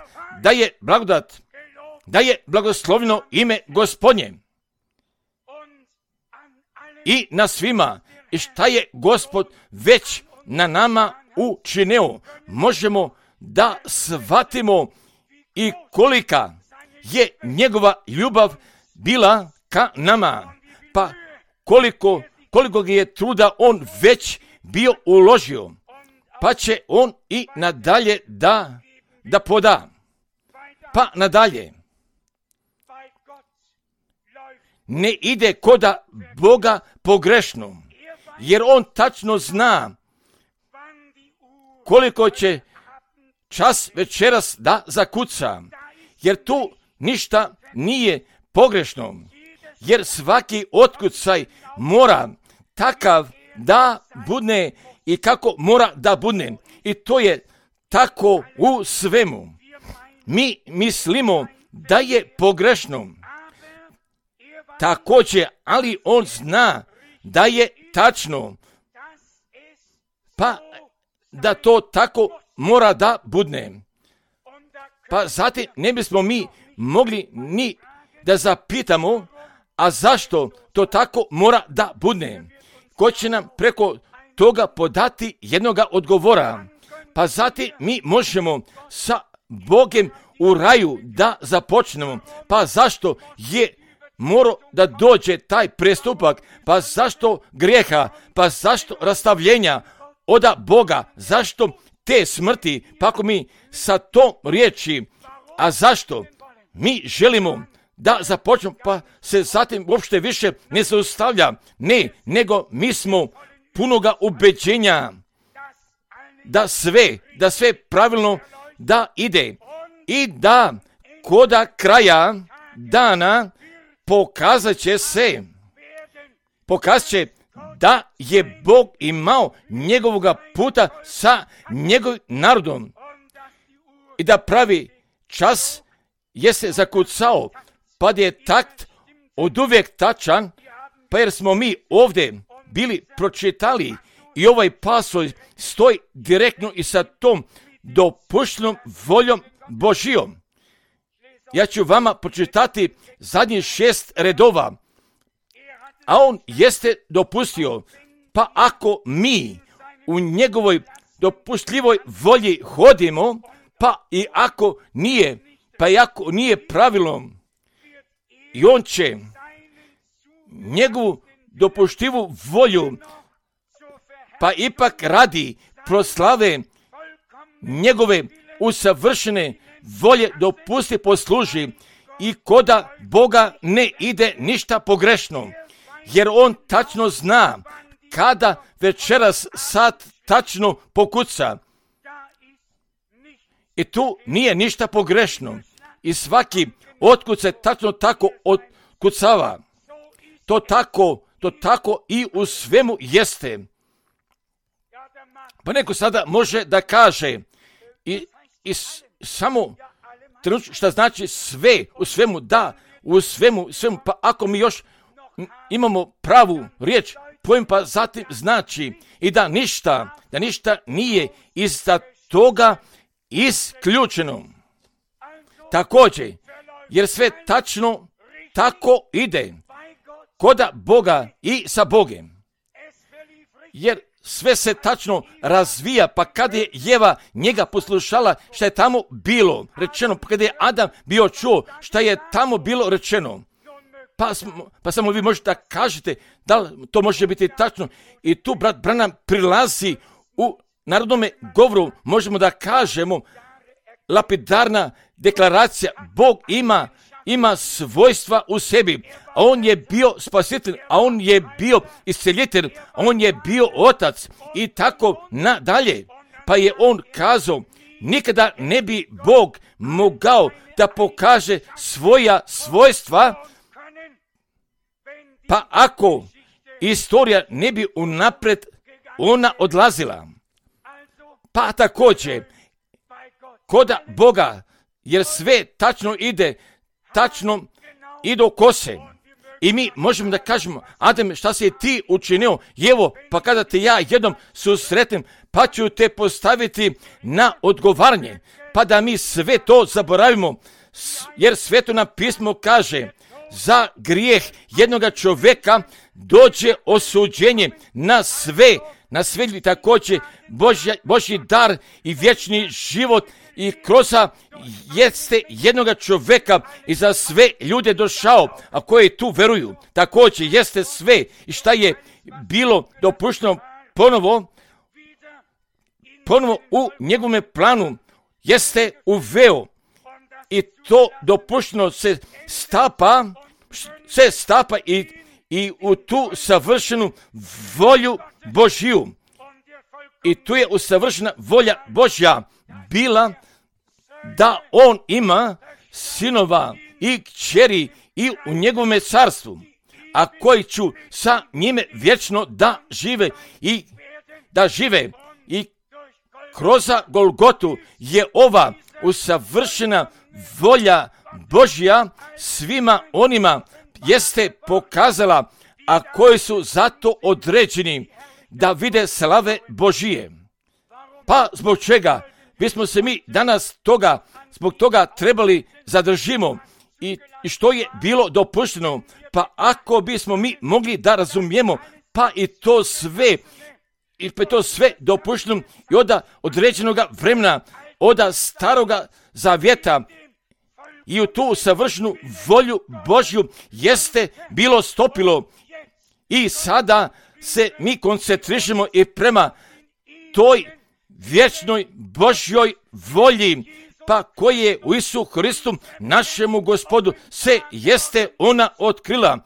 da je blagosloveno ime Gospodnje. I na svima, i šta je Gospod već na nama učinio, možemo da shvatimo i kolika je njegova ljubav bila ka nama. Pa koliko je truda on već bio uložio, pa će on i nadalje da poda. Pa nadalje. Ne ide koda Boga pogrešno, jer on tačno zna koliko će čas večeras da zakuca, jer tu ništa nije pogrešno, jer svaki otkucaj mora takav da budne i kako mora da budne. I to je tako u svemu. Mi mislimo da je pogrešno. Također, ali on zna da je tačno. Pa da to tako mora da budne. Pa zatim ne bismo mi mogli ni da zapitamo, a zašto to tako mora da budne? Ko će nam preko toga podati jednoga odgovora? Pa zatim mi možemo sa Bogom u raju da započnemo. Pa zašto je morao da dođe taj prestupak? Pa zašto grijeha? Pa zašto rastavljenja od Boga? Zašto te smrti? Pa ako mi sa tom riječi, a zašto mi želimo da započnemo, pa se zatim uopšte više ne zaustavlja. Ne, nego mi smo punoga ubeđenja da sve pravilno da ide i da koda kraja dana pokazat će da je Bog imao njegovoga puta sa njegovim narodom i da pravi čas je se zakucao, pa da je takt od uvijek tačan, pa jer smo mi ovdje bili pročitali i ovaj pasos stoji direktno i sa tom dopuštenom voljom Božijom. Ja ću vama pročitati zadnjih 6 redova, a on jeste dopustio, pa ako mi u njegovoj dopustljivoj volji hodimo, pa i ako nije pravilom, i on će njegovu dopuštivu volju, pa ipak radi proslave njegove usavršene volje dopusti posluži i koda Boga ne ide ništa pogrešno, jer on tačno zna kada večeras sad tačno pokuca. I tu nije ništa pogrešno. I svaki otkud se tačno tako otkucava. To tako i u svemu jeste. Pa neko sada može da kaže i samo šta znači sve, u svemu da, u svemu, pa ako mi još imamo pravu riječ, pojem pa zatim znači i da ništa nije iz toga isključeno. Također, jer sve tačno tako ide koda Boga i sa Bogem. Jer sve se tačno razvija, pa kad je Jeva njega poslušala šta je tamo bilo rečeno, pa kad je Adam bio čuo šta je tamo bilo rečeno, pa samo vi možete da kažete da li to može biti tačno. I tu brat Branham prilazi u narodnome govoru, možemo da kažemo lapidarna deklaracija, Bog ima svojstva u sebi, a on je bio spasitelj, a on je bio isceljitelj, a on je bio otac i tako nadalje. Pa je on kazao, nikada ne bi Bog mogao da pokaže svoja svojstva, pa ako istorija ne bi unapred ona odlazila. Pa također, koda Boga, jer sve tačno ide, tačno i do kose. I mi možemo da kažemo, Adem, šta si ti učinio? Evo, pa kada te ja jednom susretnem, pa ću te postaviti na odgovaranje. Pa da mi sve to zaboravimo, jer Sveto pismo kaže, za grijeh jednoga čovjeka dođe osuđenje na sve također Božji dar i vječni život i kroz jeste jednoga čovjeka i za sve ljude došao, a koji tu veruju. Također jeste sve i šta je bilo dopušteno ponovo u njegovom planu jeste uveo. I to dopušteno se stapa i u tu savršenu volju Božju. I tu je usavršena volja Božja bila da on ima sinova i kćeri i u njegovome carstvu, a koji ću sa njime vječno da žive i kroz Golgotu je ova usavršena volja Božja svima onima jeste pokazala, a koji su zato određeni da vide slave Božije. Pa zbog čega bismo se mi danas zbog toga trebali zadržimo i što je bilo dopušteno, pa ako bismo mi mogli da razumijemo, pa i to sve dopušteno i od određenoga vremena, od staroga zavjeta i u tu savršenu volju Božju jeste bilo stopilo i sada se mi koncentrišemo i prema toj vječnoj Božjoj volji, pa koje je u Isu Hristu, našemu Gospodu, se jeste ona otkrila.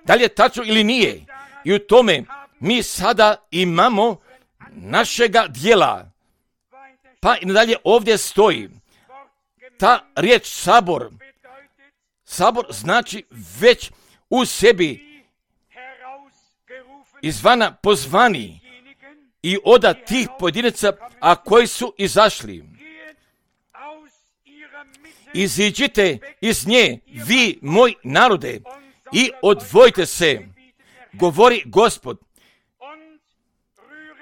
Da li je tačno ili nije? I u tome mi sada imamo našega dijela. Pa i nadalje ovdje stoji ta riječ sabor. Sabor znači već u sebi izvana pozvani i od tih pojedinaca, a koji su izašli. Iziđite iz nje, vi, moj narode, i odvojite se, govori Gospod,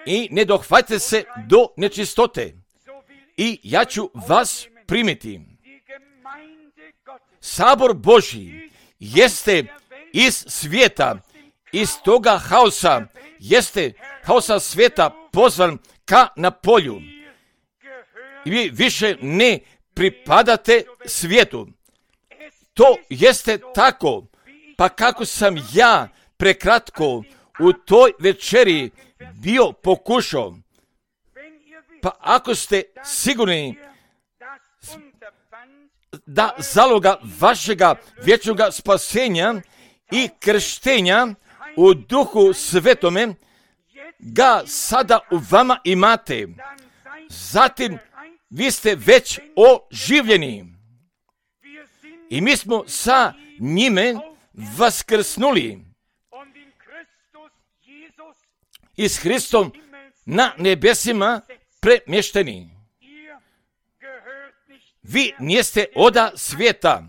i ne dohvatite se do nečistote, i ja ću vas primiti. Sabor Božji jeste iz svijeta, iz toga haosa, jeste haosa svijeta pozvan ka na polju. I vi više ne pripadate svijetu. To jeste tako, pa kako sam ja prekratko u toj večeri bio pokušao, pa ako ste sigurni da zaloga vašega vječnoga spasenja i krštenja u Duhu Svetome ga sada u vama imate. Zatim vi ste već oživljeni i mi smo sa njime vaskrsnuli i s Hristom na nebesima premješteni. Vi niste oda svijeta,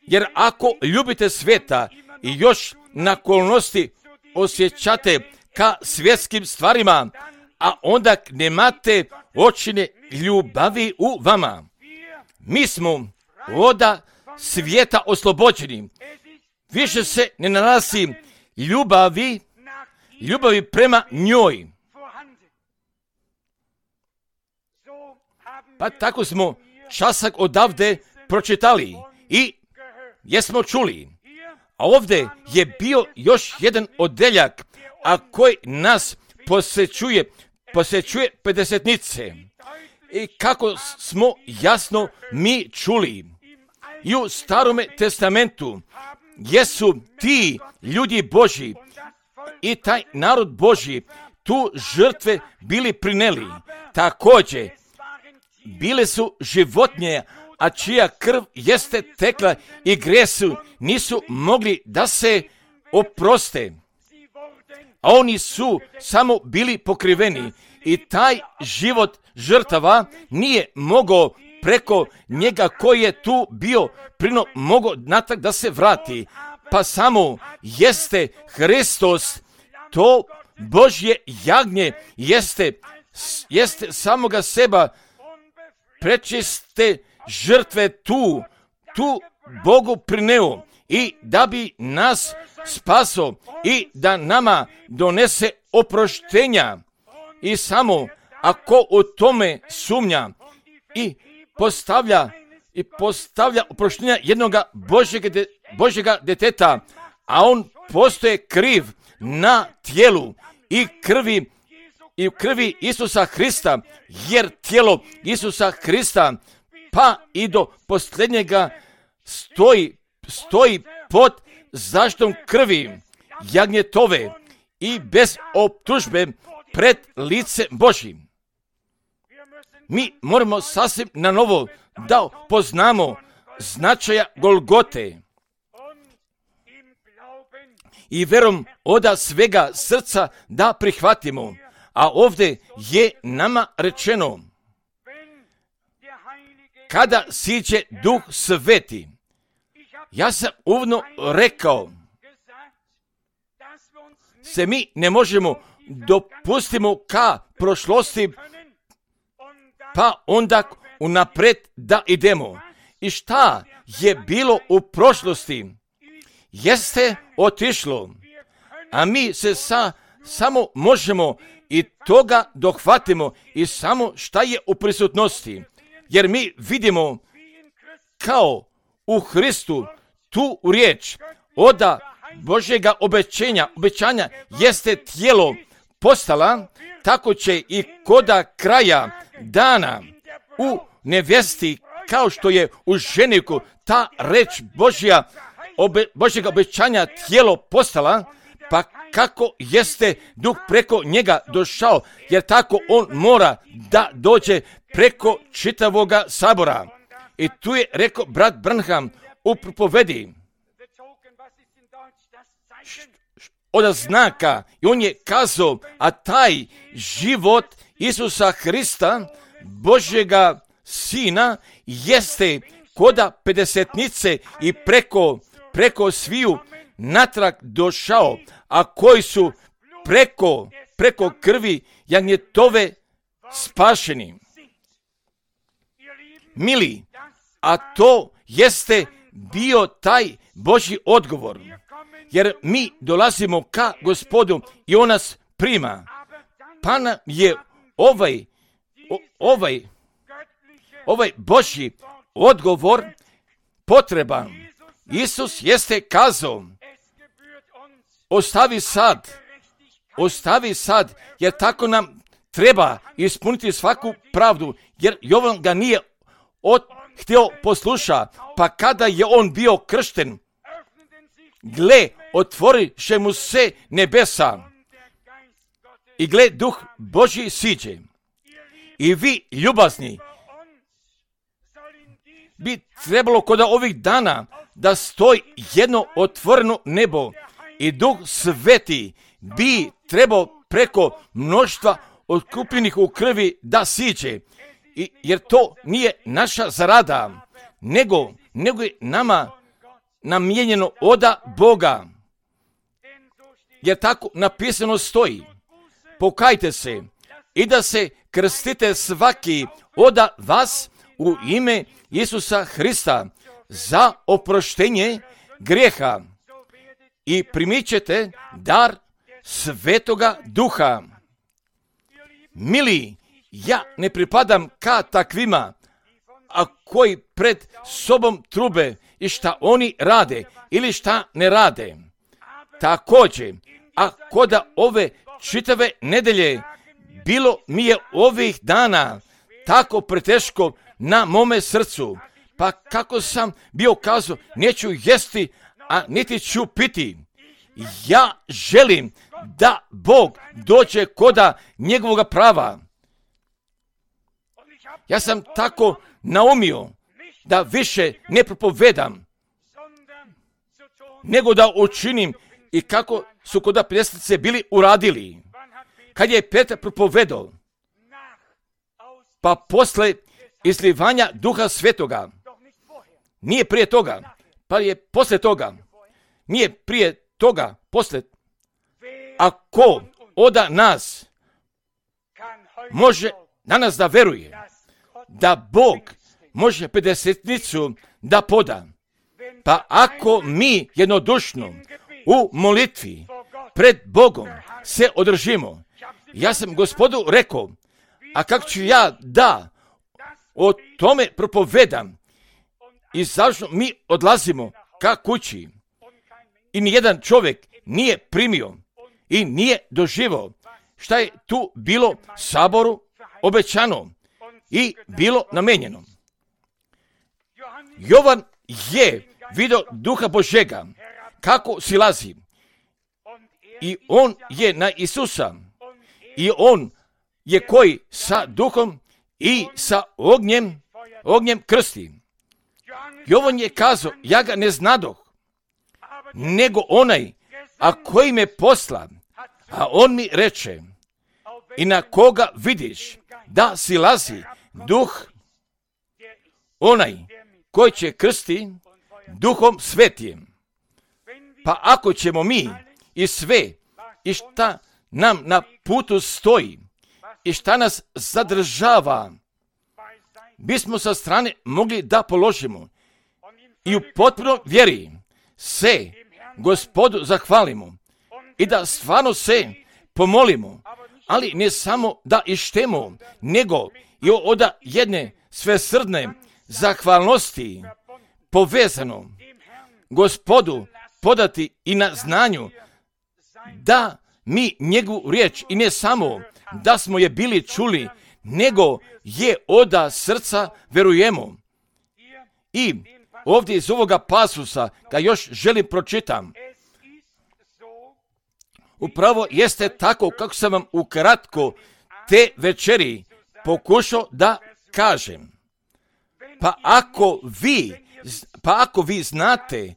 jer ako ljubite svijeta i još na okolnosti osjećate ka svjetskim stvarima, a onda nemate očine ljubavi u vama. Mi smo oda svijeta oslobođeni. Više se ne nalazi ljubavi prema njoj. Pa tako smo časak odavde pročitali i jesmo čuli. A ovdje je bio još jedan odeljak, a koji nas posjećuje pedesetnice. I kako smo jasno mi čuli i u Starome testamentu jesu ti ljudi Božji i taj narod Božji tu žrtve bili prineli. Također bile su životinje, a čija krv jeste tekla i gresu nisu mogli da se oproste. A oni su samo bili pokriveni i taj život žrtava nije mogao preko njega koji je tu bio mogao natrag da se vrati. Pa samo jeste Hristos, to Božje jagnje, jeste samoga seba prečiste žrtve tu Bogu prineo i da bi nas spaso i da nama donese oproštenja. I samo ako u tome sumnja i postavlja oproštenja jednoga Božjega deteta, a on postoje kriv na tijelu i krvi Isusa Hrista, jer tijelo Isusa Hrista pa i do posljednjega stoji pod zaštitom krvi jagnjetove i bez optužbe pred lice Božjim. Mi moramo sasvim na novo da poznamo značaja Golgote i vjerom oda svega srca da prihvatimo. A ovdje je nama rečeno, kada siđe Duh Sveti, ja sam uvodno rekao, se mi ne možemo dopustimo ka prošlosti, pa onda unaprijed da idemo. I šta je bilo u prošlosti, jeste otišlo, a mi se samo možemo i toga dohvatimo i samo šta je u prisutnosti. Jer mi vidimo kao u Hristu tu riječ oda Božjega obećanja jeste tijelo postala, tako će i koda kraja dana u nevjesti, kao što je u ženiku ta reč Božjega obećanja tijelo postala, pa kako jeste Duh preko njega došao, jer tako on mora da dođe preko čitavoga sabora. I tu je rekao brat Branham u propovedi od znaka, i on je kazao, a taj život Isusa Hrista, Božjega Sina, jeste koda pedesetnice i preko sviju natrag došao, a koji su preko krvi jagnjetove spašeni. Mili, a to jeste bio taj Božji odgovor, jer mi dolazimo ka Gospodu i on nas prima, pa nam je ovaj Božji odgovor potreban. Isus jeste kazao, ostavi sad, jer tako nam treba ispuniti svaku pravdu, jer Jovan ga nije htio posluša, pa kada je on bio kršten, gle, otvoriše mu se nebesa i gle, Duh Božji siđe. I vi, ljubazni, bi trebalo kod ovih dana da stoji jedno otvoreno nebo i Duh Sveti bi trebao preko mnoštva otkupljenih u krvi da siđe. Jer to nije naša zarada, nego je nama namijenjeno oda Boga. Jer tako napisano stoji, pokajte se i da se krstite svaki oda vas u ime Isusa Hrista za oproštenje grijeha i primit ćete dar Svetoga Duha. Mili, ja ne pripadam ka takvima, a koji pred sobom trube i šta oni rade ili šta ne rade. Također, a koda ove čitave nedelje bilo mi je ovih dana tako preteško na mome srcu, pa kako sam bio kazao, neću jesti, a niti ću piti. Ja želim da Bog dođe koda njegovoga prava. Ja sam tako naumio da više ne propovedam, nego da učinim i kako su kod prijestnice bili uradili. Kad je Petar propovedao, pa posle izlivanja Duha Svetoga, nije prije toga, pa je posle toga, nije prije toga, posle, ako oda nas može danas da veruje da Bog može 50-nicu da poda, pa ako mi jednodušno u molitvi pred Bogom se održimo, ja sam Gospodu rekao, a kako ću ja da o tome propovedam i završno mi odlazimo ka kući i nijedan čovjek nije primio i nije doživao šta je tu bilo saboru obećano i bilo namenjeno. Jovan je vidio Duha Božega kako silazi i on je na Isusa i on je koji sa Duhom i sa ognjem krsti. Jovan je kazao, ja ga ne znadoh, nego onaj, a koji me posla, a on mi reče, i na koga vidiš da silazi Duh, onaj koji će krsti Duhom Svetijem. Pa ako ćemo mi i sve, i šta nam na putu stoji, i šta nas zadržava, bismo sa strane mogli da položimo i u potpuno vjeri se Gospodu zahvalimo i da stvarno se pomolimo, ali ne samo da ištemo, nego i od jedne svesrdne zahvalnosti povezano Gospodu podati i na znanju da mi njegovu riječ i ne samo da smo je bili čuli, nego je oda srca verujemo. I ovdje iz ovoga pasusa, ga još želim pročitam, upravo jeste tako kako sam vam ukratko te večeri pokušao da kažem. Pa ako vi znate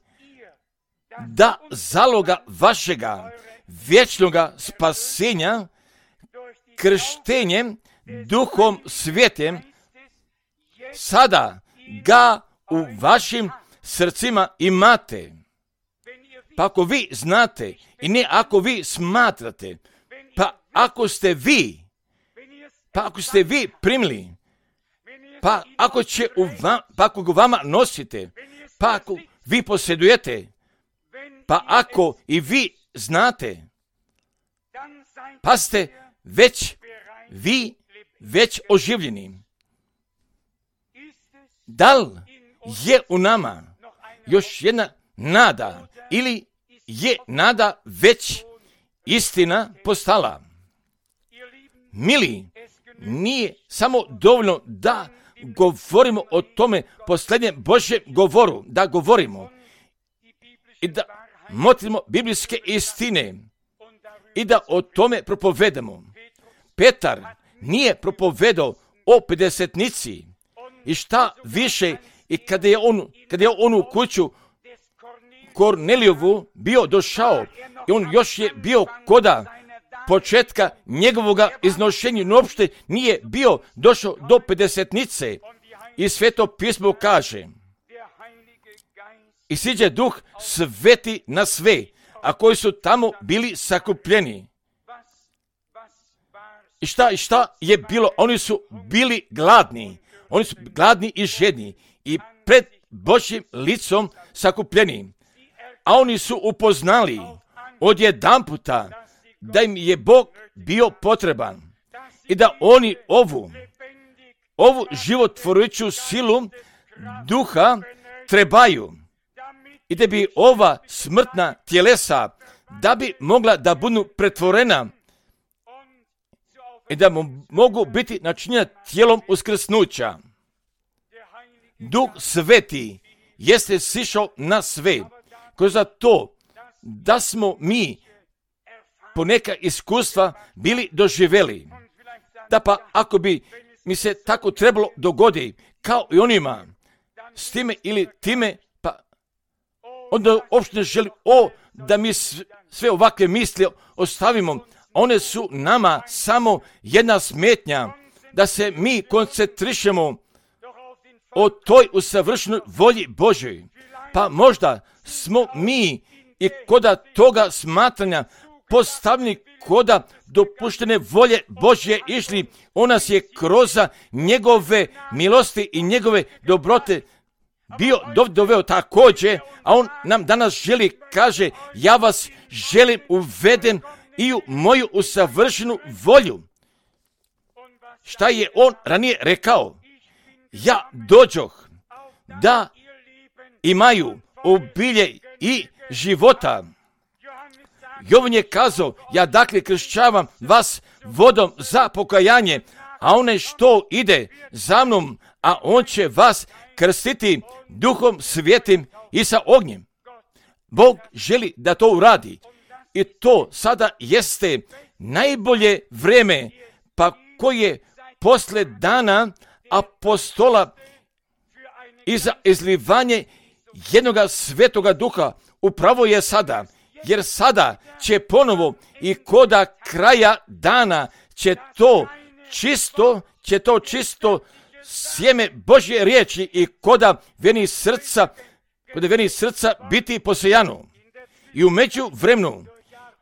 da zaloga vašega vječnoga spasenja krštenjem Duhom Svetim sada ga u vašim srcima imate. Pa ako vi znate i ne ako vi smatrate, pa ako ste vi primili, pa ako ga vama nosite, pa ako vi posjedujete, pa ako i vi znate, pa ste već oživljeni. Da li je u nama još jedna nada ili je nada već istina postala? Mili, nije samo dovoljno da govorimo o tome posljednjem Božjem govoru, da govorimo i da motrimo biblijske istine i da o tome propovedamo. Petar nije propovedao o pedesetnici i šta više, i kada je on u kuću Kornelijevu bio došao i on još je bio koda početka njegovoga iznošenja, no uopšte nije bio došao do pedesetnice. I Sveto pismo kaže: i siđe Duh Sveti na sve, a koji su tamo bili sakupljeni. I šta je bilo? Oni su bili gladni. Oni su gladni i žedni i pred Božjim licom sakupljeni. A oni su upoznali odjedanputa da im je Bog bio potreban i da oni ovu životvorujuću silu duha trebaju i da bi ova smrtna tjelesa da bi mogla da budu pretvorena i da mogu biti načinjena tijelom uskrsnuća. Duh Sveti jeste sišao na sve, kroz to da smo mi poneka iskustva bili doživjeli. Da pa ako bi mi se tako trebalo dogodi kao i onima s time ili time, pa onda uopšte ne želim da mi sve ovakve misli ostavimo. One su nama samo jedna smetnja da se mi koncentrišemo o toj usavršenoj volji Božoj. Pa možda smo mi i koda toga smatranja postavljeni koda dopuštene volje Božje išli. On nas je kroz njegove milosti i njegove dobrote bio doveo također, a on nam danas želi, kaže: ja vas želim uvedem i u moju usavršenu volju. Šta je on ranije rekao? Ja dođoh da imaju obilje i života. Jovan je kazao: ja dakle kršćavam vas vodom za pokajanje, a onaj što ide za mnom, a on će vas krstiti Duhom Svetim i sa ognjem. Bog želi da to uradi i to sada jeste najbolje vreme, pa koje posle dana apostola i za izlivanje jednoga Svetoga Duha upravo je sada, jer sada će ponovo i koda kraja dana će to čisto sjeme Božje riječi i koda veni srca biti posejano. I u međuvremenu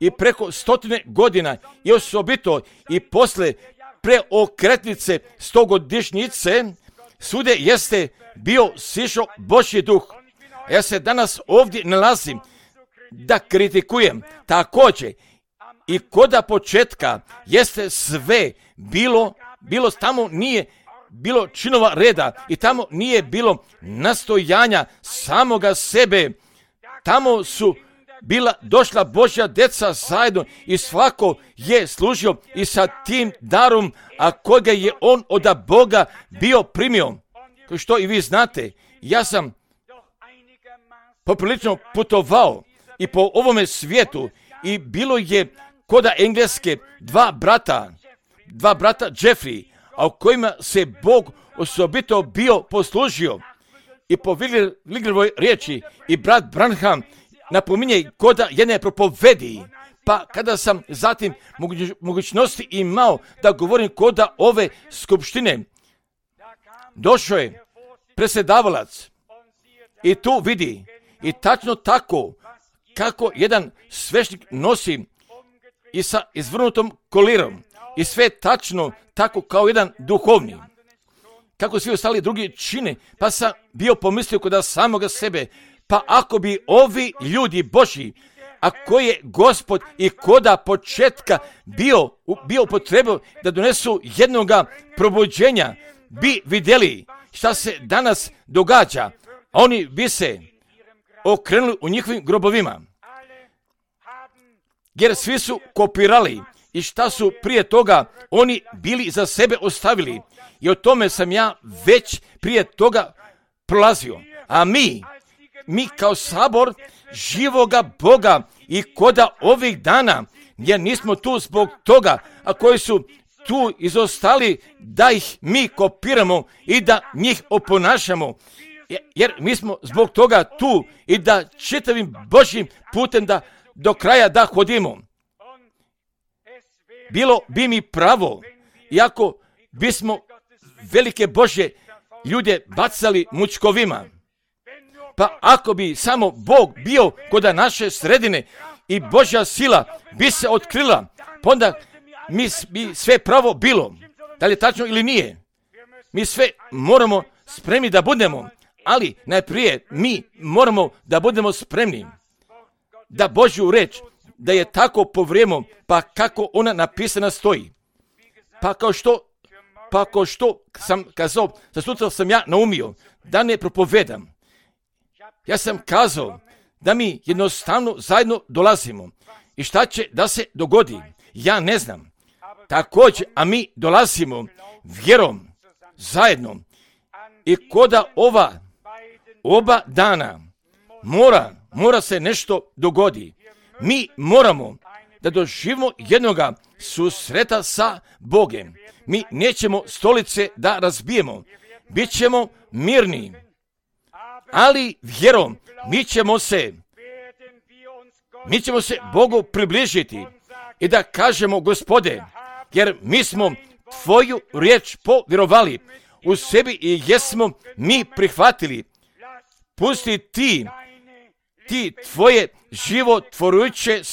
i preko 100 godina i osobito i posle preokretnice 100-godišnjice svude jeste bio sišao Božji Duh. Ja se danas ovdje nalazim da kritikujem također i koda početka jeste sve bilo tamo nije bilo činova reda i tamo nije bilo nastojanja samoga sebe. Tamo su došla Božja deca zajedno i svako je služio i sa tim darom, a koga je on od Boga bio primio. Kao što i vi znate, ja sam poprilično putovao i po ovome svijetu i bilo je koda Engleske dva brata Jeffrey, a u kojima se Bog osobito bio poslužio. I po Wiglerovoj riječi i brat Branham napominje koda jedne propovedi. Pa kada sam zatim mogućnosti imao da govorim koda ove skupštine, došao je predsjedavalac i tu vidi i tačno tako kako jedan svešnik nosi i sa izvrnutom kolirom i sve tačno tako kao jedan duhovni. Kako svi ostali drugi čine, pa sam bio pomislio kod samoga sebe, pa ako bi ovi ljudi Božji, a koji je Gospod i koda početka bio potrebao da donesu jednoga probuđenja, bi vidjeli šta se danas događa, oni bi se okrenuli u njihovim grobovima. Jer svi su kopirali i šta su prije toga oni bili za sebe ostavili. I o tome sam ja već prije toga prolazio. A mi kao sabor živoga Boga i koda ovih dana, jer nismo tu zbog toga, a koji su tu izostali da ih mi kopiramo i da njih oponašamo. Jer mi smo zbog toga tu i da čitavim Božjim putem da do kraja da hodimo. Bilo bi mi pravo, iako bismo velike Božje ljude bacali mučkovima. Pa ako bi samo Bog bio kod naše sredine i Božja sila bi se otkrila, onda mi bi sve pravo bilo. Da li je tačno ili nije? Mi sve moramo spremni da budemo, ali najprije mi moramo da budemo spremni da Božju reč, da je tako po vrijeme, pa kako ona napisana stoji. Pa kao što sam kazao, za sutra sam ja naumio da ne propovedam. Ja sam kazao da mi jednostavno zajedno dolazimo. I šta će da se dogodi? Ja ne znam. Također, a mi dolazimo vjerom zajedno. I koda oba dana mora se nešto dogodi. Mi moramo da doživimo jednoga susreta sa Bogem. Mi nećemo stolice da razbijemo. Bićemo mirni. Ali vjerom mi ćemo se Bogu približiti i da kažemo, Gospode, jer mi smo Tvoju riječ povjerovali u sebi i jesmo mi prihvatili. Pusti ti Tvoje životvorujuće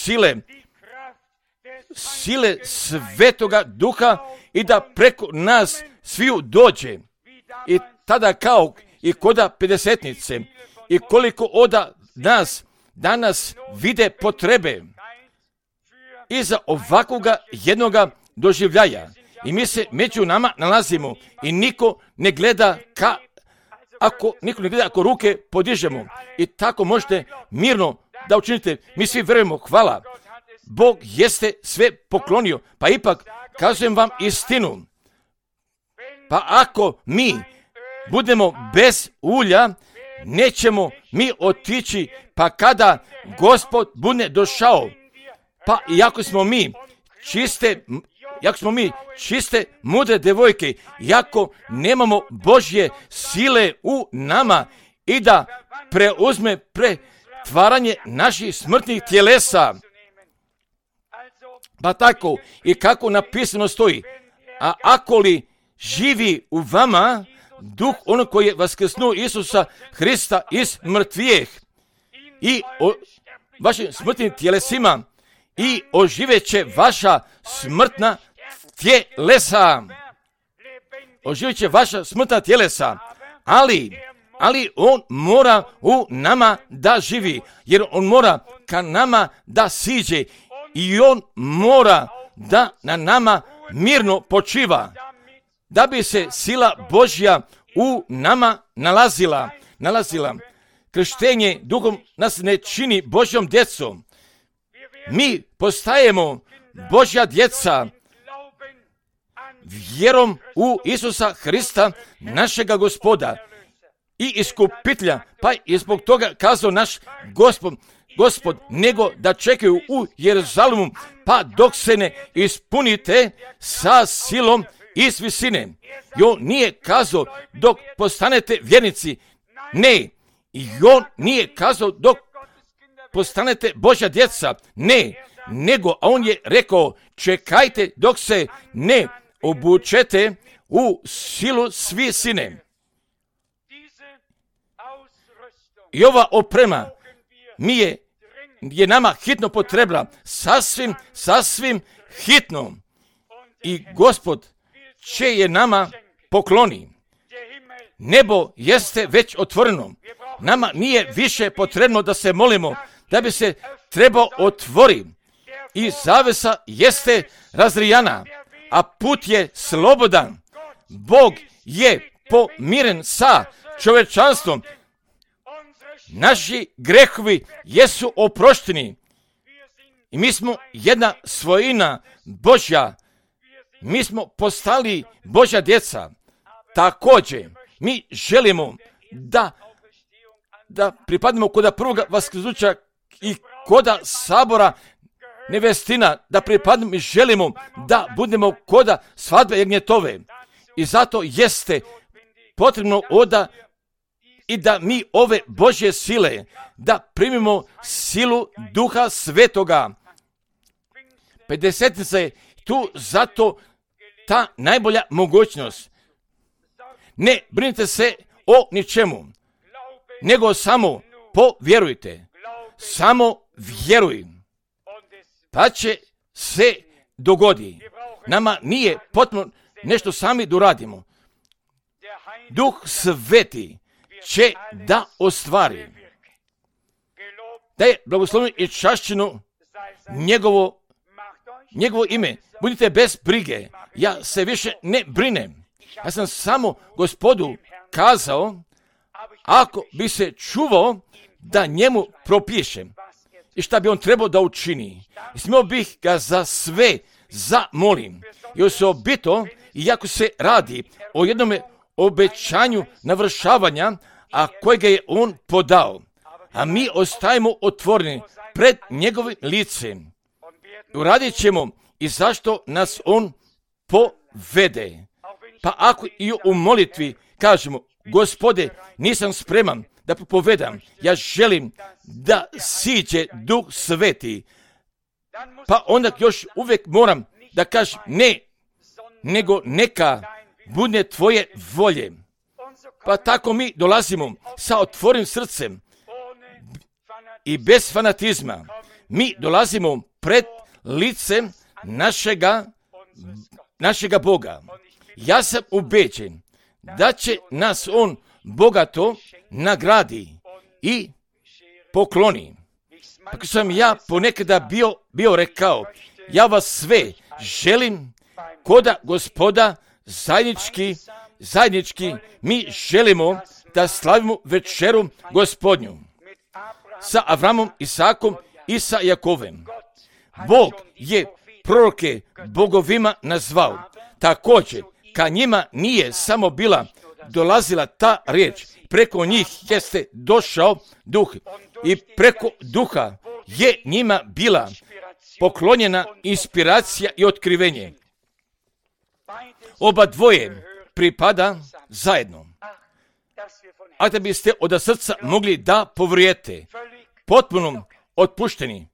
sile Svetoga Duha i da preko nas sviju dođe. I tada kao i koda pedesetnice i koliko od nas danas vide potrebe i za ovakvoga jednoga doživljaja. I mi se među nama nalazimo i niko ne gleda ako ruke podižemo. I tako možete mirno da učinite. Mi svi vjerujemo, hvala. Bog jeste sve poklonio, pa ipak kažem vam istinu. Pa ako mi budemo bez ulja, nećemo mi otići, pa kada Gospod bude došao, pa iako smo mi čiste, mudre devojke, iako nemamo Božje sile u nama i da preuzme pretvaranje naših smrtnih tjelesa, pa tako i kako napisano stoji, a ako li živi u vama duh onog koji je vaskrsnuo Isusa Hrista iz mrtvijeh i o vašim smrtnim tjelesima i oživeće vaša smrtna tjelesa. Oživeće vaša smrtna tjelesa, ali on mora u nama da živi, jer on mora ka nama da siđe i on mora da na nama mirno počiva, da bi se sila Božja u nama nalazila. Krštenje duhom nas ne čini Božjom djecom. Mi postajemo Božja djeca vjerom u Isusa Hrista, našega Gospoda i iskupitelja, pa je zbog toga kazao naš Gospod, nego da čekaju u Jeruzalemu, pa dok se ne ispunite sa silom iz visine. I on nije kazao dok postanete vjernici, ne. I on nije kazao dok postanete Božja djeca, ne. Nego, a on je rekao, čekajte dok se ne obučete u silu s visine. I ova oprema je nama hitno potrebna, sasvim hitno. I Gospod će je nama pokloni. Nebo jeste već otvoreno. Nama nije više potrebno da se molimo, da bi se trebao otvori. I zavesa jeste razrijana, a put je slobodan. Bog je pomiren sa čovječanstvom. Naši grehovi jesu oprošteni I mi smo jedna svojina Božja. Mi smo postali Božja djeca. Također, mi želimo da pripadnemo koda prvoga vaskrsnuća i koda sabora nevestina, da pripadnemo i želimo da budemo koda svadbe jagnjetove. I zato jeste potrebno i da mi ove Božje sile, da primimo silu Duha Svetoga. 50 je tu zato ta najbolja mogućnost. Ne brinite se o ničemu, nego samo povjerujte. Samo vjeruj, pa će se dogodi. Nama nije potrebno nešto sami da uradimo. Duh Sveti će da ostvari. Da je blagosloveno i čašćeno njegovo ime. Budite bez brige. Ja se više ne brinem. Ja sam samo Gospodu kazao, ako bi se čuvao, da njemu propišem i šta bi on trebao da učini. I smio bih ga za sve zamolim. I osobito, iako se radi o jednome obećanju navršavanja, a kojega je on podao, a mi ostajemo otvoreni pred njegovim licem. Uradit ćemo i zašto nas on povede. Pa ako i u molitvi kažemo, Gospode, nisam spreman da propovedam, ja želim da siđe Duh Sveti, pa onda još uvijek moram da kažem ne, nego neka bude tvoje volje. Pa tako mi dolazimo sa otvorenim srcem i bez fanatizma. Mi dolazimo pred licem našega Boga. Ja sam ubeđen da će nas on bogato nagradi i pokloni. Tako sam ja ponekada bio rekao, ja vas sve želim koda Gospoda zajednički mi želimo da slavimo večeru Gospodnju sa Avramom, Isakom i sa Jakovem. Bog je proroke bogovima nazvao. Također, ka njima nije samo dolazila ta riječ, preko njih jeste došao duh i preko duha je njima bila poklonjena inspiracija i otkrivenje. Oba dvoje pripada zajedno. A da biste od srca mogli da povrijete, potpuno otpušteni,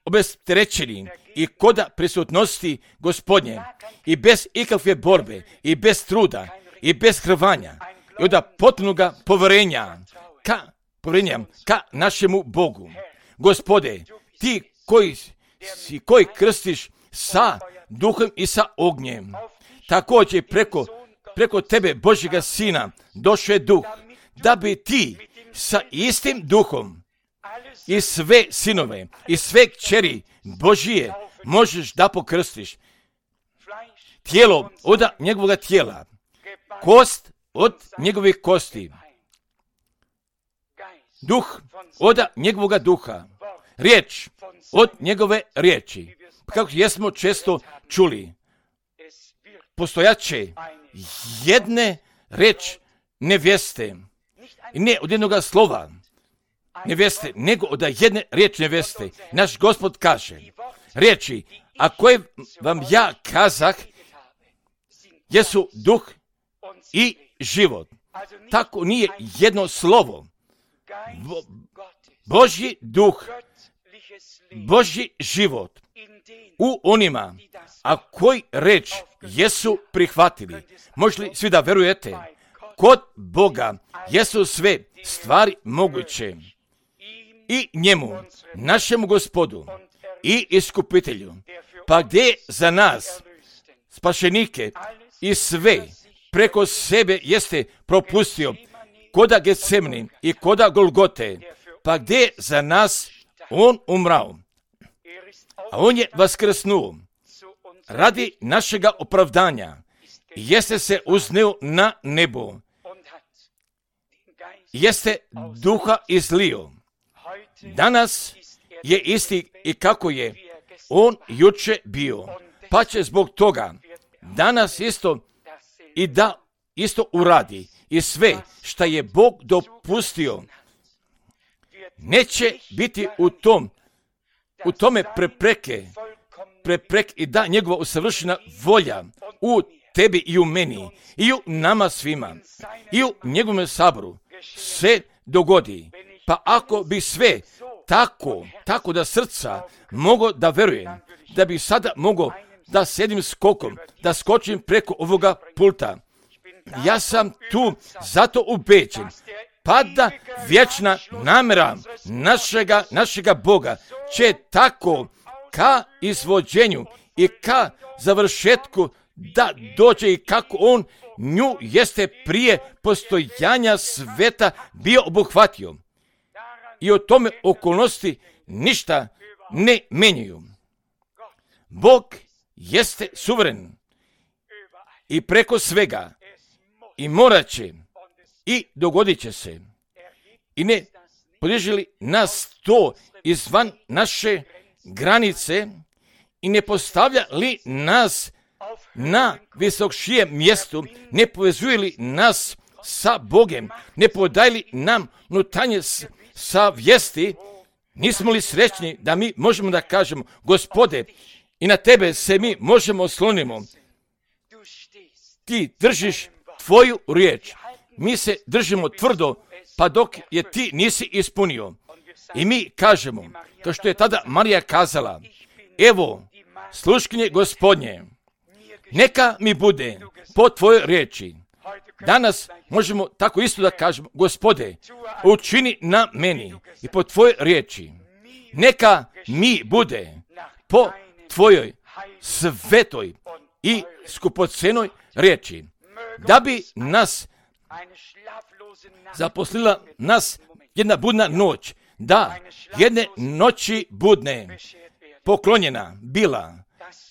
obesterećeni i koda prisutnosti Gospodnje i bez ikakve borbe i bez truda i bez hrvanja i od potpunoga povjerenja ka našemu Bogu. Gospode, ti koji krstiš sa duhom i sa ognjem, također preko tebe, Božjega Sina, došao je duh, da bi ti sa istim duhom i sve sinove i sve kćeri Božije možeš da pokrstiš. Tijelo od njegovog tijela, kost od njegovih kosti, duh od njegovog duha, riječ od njegove riječi. Kako jesmo često čuli, postojaće jedne reč nevjeste, i ne od jednoga slova nevjeste, nego od jedne riječi nevjeste. Naš Gospod kaže, riječi, a koje vam ja kazah, jesu duh i život. Tako nije jedno slovo. Božji duh, Božji život u onima, a koji reč jesu prihvatili. Možete li svi da verujete? Kod Boga jesu sve stvari moguće. I njemu, našemu Gospodu i iskupitelju, pa gdje za nas, spašenike i sve preko sebe jeste propustio, koda Getsemani i koda Golgote, pa gdje za nas on umrao, a on je vaskrsnuo radi našega opravdanja, jeste se uzneo na nebo, jeste duha izlio. Danas je isti i kako je on juče bio, pa će zbog toga danas isto i da isto uradi i sve što je Bog dopustio. Neće biti u tome prepreke i da njegova usavršena volja u tebi i u meni i u nama svima i u njegovom saboru se dogodi. Pa ako bi sve tako da srca mogo da verujem, da bi sada mogo da sedim skokom, da skočim preko ovoga pulta. Ja sam tu zato ubeđen, pa da vječna namjera našega Boga će tako ka izvođenju i ka završetku da dođe i kako on nju jeste prije postojanja sveta bio obuhvatio. I o tome okolnosti ništa ne menjaju. Bog jeste suveren i preko svega i morat će i dogodit će se. I ne podiže li nas to izvan naše granice i ne postavlja li nas na visokšijem mjestu, ne povezuje li nas sa Bogem, ne podaje li nam nutanje savjesti, nismo li srećni da mi možemo da kažemo, Gospode, i na tebe se mi možemo oslonimo. Ti držiš tvoju riječ. Mi se držimo tvrdo, pa dok je ti nisi ispunio. I mi kažemo, kao što je tada Marija kazala, evo, sluškinje Gospodnje, neka mi bude po tvojoj riječi. Danas možemo tako isto da kažemo, Gospode, učini na meni i po tvojoj riječi. Neka mi bude po tvojoj svetoj i skupocenoj riječi. Da bi nas zaposlila nas jedna budna noć, da jedne noći budne poklonjena bila,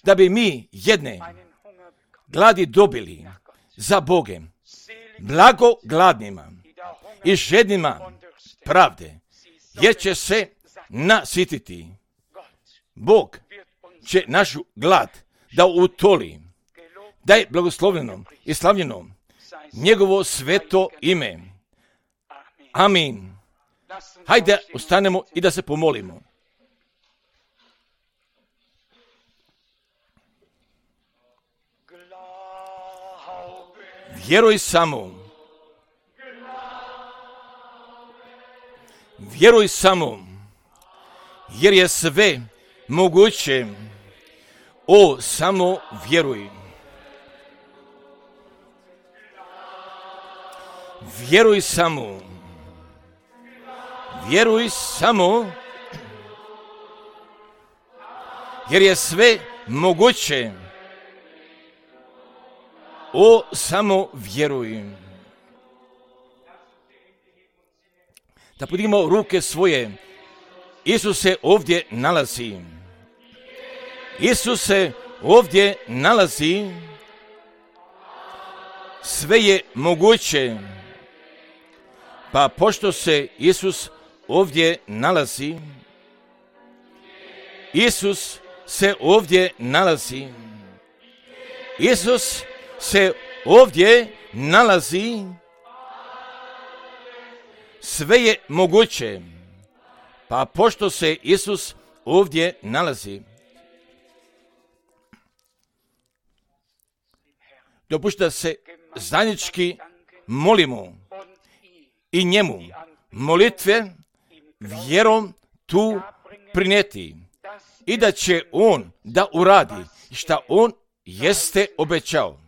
da bi mi jedne gladi dobili za Bogem, blago gladnima i žednima pravde, jer će se nasititi. Bog će našu glad da utoli, da je blagoslovljeno i slavljeno njegovo sveto ime. Amin. Hajde, ustanemo i da se pomolimo. Vjeruj samo. Vjeruj samo, jer je sve moguće. O, samo vjeruj. Vjeruj samo. Vjeruj samo, jer je sve moguće. O, samo vjeruj. Da podignemo ruke svoje. Isus se ovdje nalazi. Isus se ovdje nalazi. Sve je moguće. Pa pošto se Isus ovdje nalazi, Isus se ovdje nalazi. Isus se ovdje nalazi. Sve je moguće. Pa pošto se Isus ovdje nalazi, dopušta se zajednički molimo i njemu molitve vjerom tu prinijeti i da će on da uradi šta on jeste obećao.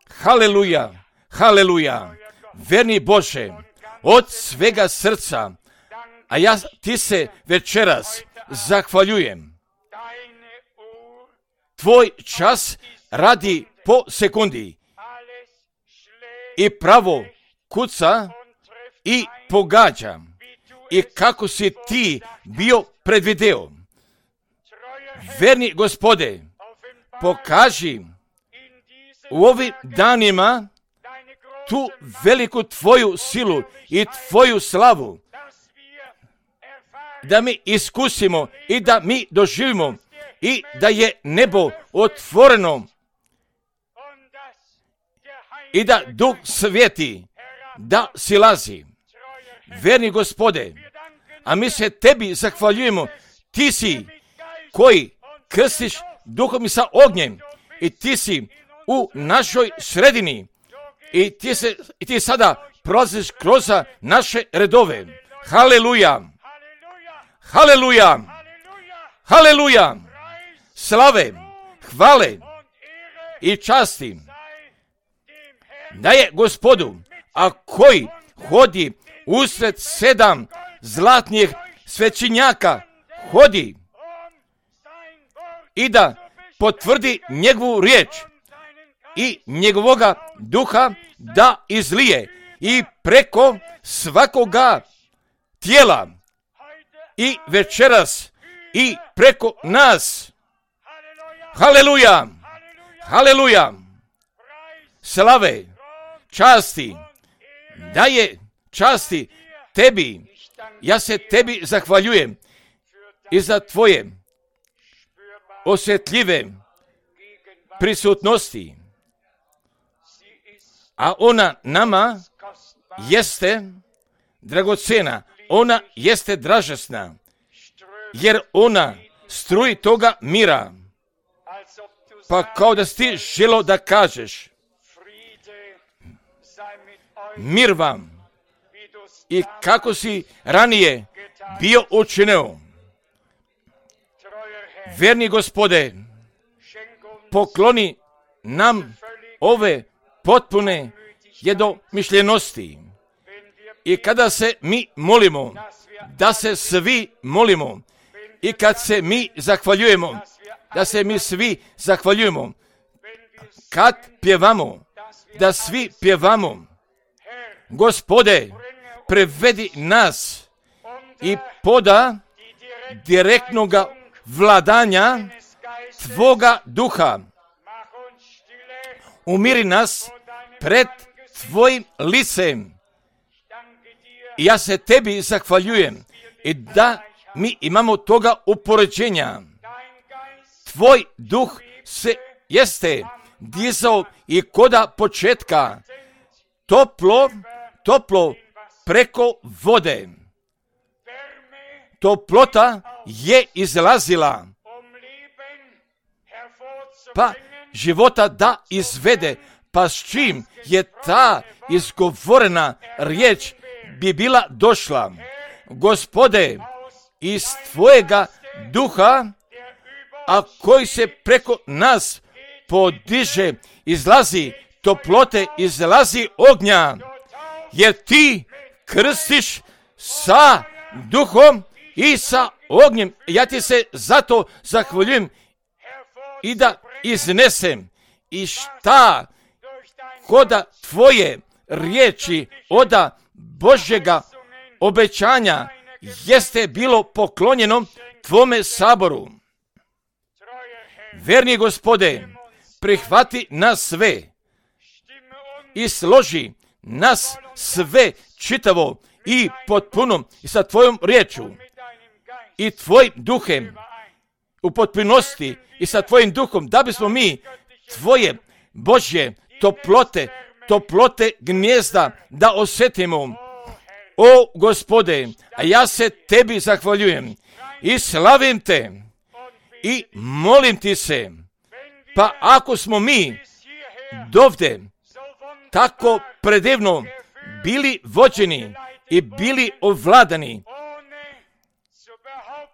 Haleluja, haleluja, verni Bože, od svega srca, a ja ti se večeras zahvaljujem. Tvoj čas radi po sekundi i pravo kuca i pogađa. I kako si ti bio predvideo. Verni Gospode, pokaži u ovim danima tu veliku tvoju silu i tvoju slavu, da mi iskusimo i da mi doživimo i da je nebo otvoreno i da Duh Sveti da silazi. Verni Gospode, a mi se tebi zahvaljujemo, ti si koji krstiš duhom i sa ognjem i ti si u našoj sredini i ti sada prolaziš kroz naše redove. Haleluja! Haleluja! Haleluja! Slave, hvale i časti da je Gospodu, a koji hodi usred 7 zlatnih svećenjaka, hodi i da potvrdi njegovu riječ i njegovoga duha da izlije i preko svakoga tijela i večeras i preko nas. Haleluja! Haleluja! Slave, časti, daje časti tebi. Ja se tebi zahvaljujem i za tvoje osjetljive prisutnosti. A ona nama jeste dragocena, ona jeste dražesna, jer ona struji toga mira. Pa kao da si ti želo da kažeš, mir vam, i kako si ranije bio učinio. Verni Gospode, pokloni nam ove potpune jednomišljenosti. I kada se mi molimo, da se svi molimo, i kad se mi zahvaljujemo, da se mi svi zahvaljujemo, kad pjevamo, da svi pjevamo. Gospode, prevedi nas i poda direktnoga vladanja Tvoga duha. Umiri nas pred Tvojim licem. Ja se tebi zahvaljujem i da mi imamo toga upoređenja. Tvoj duh se jeste dizao i koda početka toplo preko vode. Toplota je izlazila, pa života da izvede, pa s čim je ta izgovorena riječ bi bila došla. Gospode, iz Tvojega duha, a koji se preko nas podiže, izlazi toplote, izlazi ognja, jer Ti krstiš sa duhom i sa ognjem. Ja Ti se zato zahvaljujem i da iznesem i šta koda Tvoje riječi oda Božjega obećanja jeste bilo poklonjeno Tvome saboru. Verni Gospode, prihvati nas sve i složi nas sve čitavo i potpuno i sa Tvojom riječu i Tvojim duhem u potpunosti i sa Tvojim duhom, da bismo mi Tvoje Božje toplote gnjezda da osjetimo. O Gospode, a ja se Tebi zahvaljujem i slavim Te i molim Ti se, pa ako smo mi dovde tako predivno bili vođeni i bili ovladani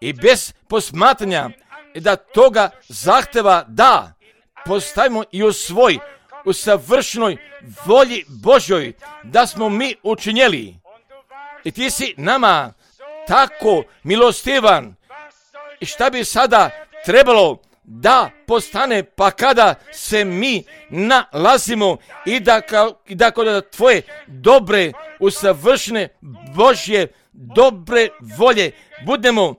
i bez posmatranja da toga zahteva da postavimo i u savršnoj volji Božjoj da smo mi učinjeli. I Ti si nama tako milostivan. I šta bi sada trebalo da postane, pa kada se mi nalazimo i da kod Tvoje dobre, usavršene Božje dobre volje budemo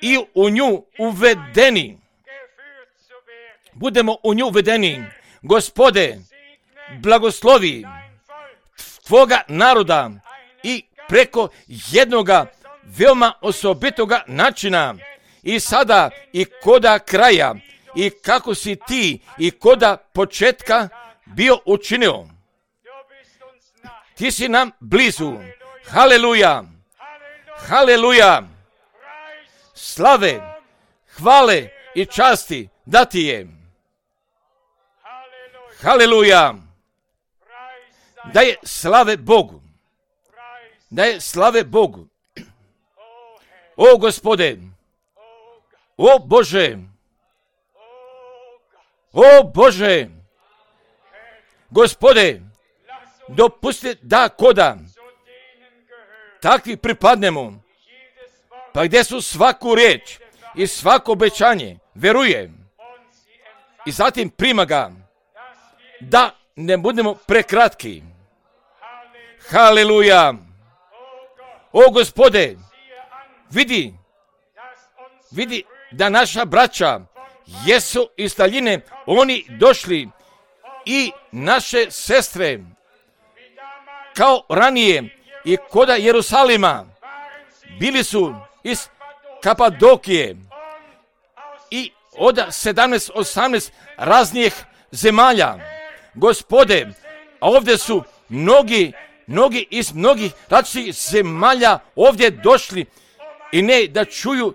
i u nju uvedeni. Budemo u nju uvedeni. Gospode, blagoslovi Tvoga naroda i preko jednoga veoma osobitoga načina i sada i koda kraja i kako si ti i koda početka bio učinio. Ti si nam blizu. Haleluja! Haleluja! Slave, hvale i časti da ti je. Haleluja! Da je slave Bogu. Da je slave Bogu. O Gospode, o Bože, o Bože, Gospode, dopusti da koda takvi pripadnemo, pa gdje su svaku riječ i svako obećanje veruje i zatim prima ga, da ne budemo prekratki. Haleluja! O Gospode, vidi da naša braća jesu iz daljine, oni došli i naše sestre kao ranije i koda Jerusalima bili su iz Kapadokije i od 17-18 raznih zemalja. Gospode, a ovdje su mnogi iz mnogih različitih zemalja ovdje došli i ne da čuju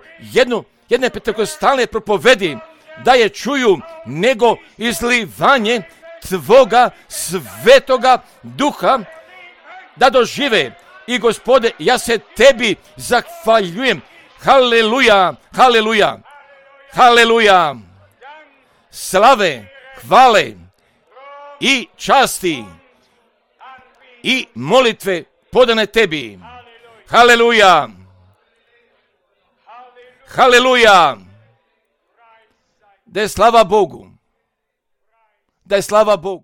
jedne pentekostalne propovedi, da je čuju, nego izlivanje Tvoga svetoga duha, da dožive. I Gospode, ja se Tebi zahvaljujem. Haleluja, haleluja, haleluja. Slave, hvale i časti i molitve podane Tebi. Haleluja, haleluja. Da je slava Bogu. Da je slava Bogu.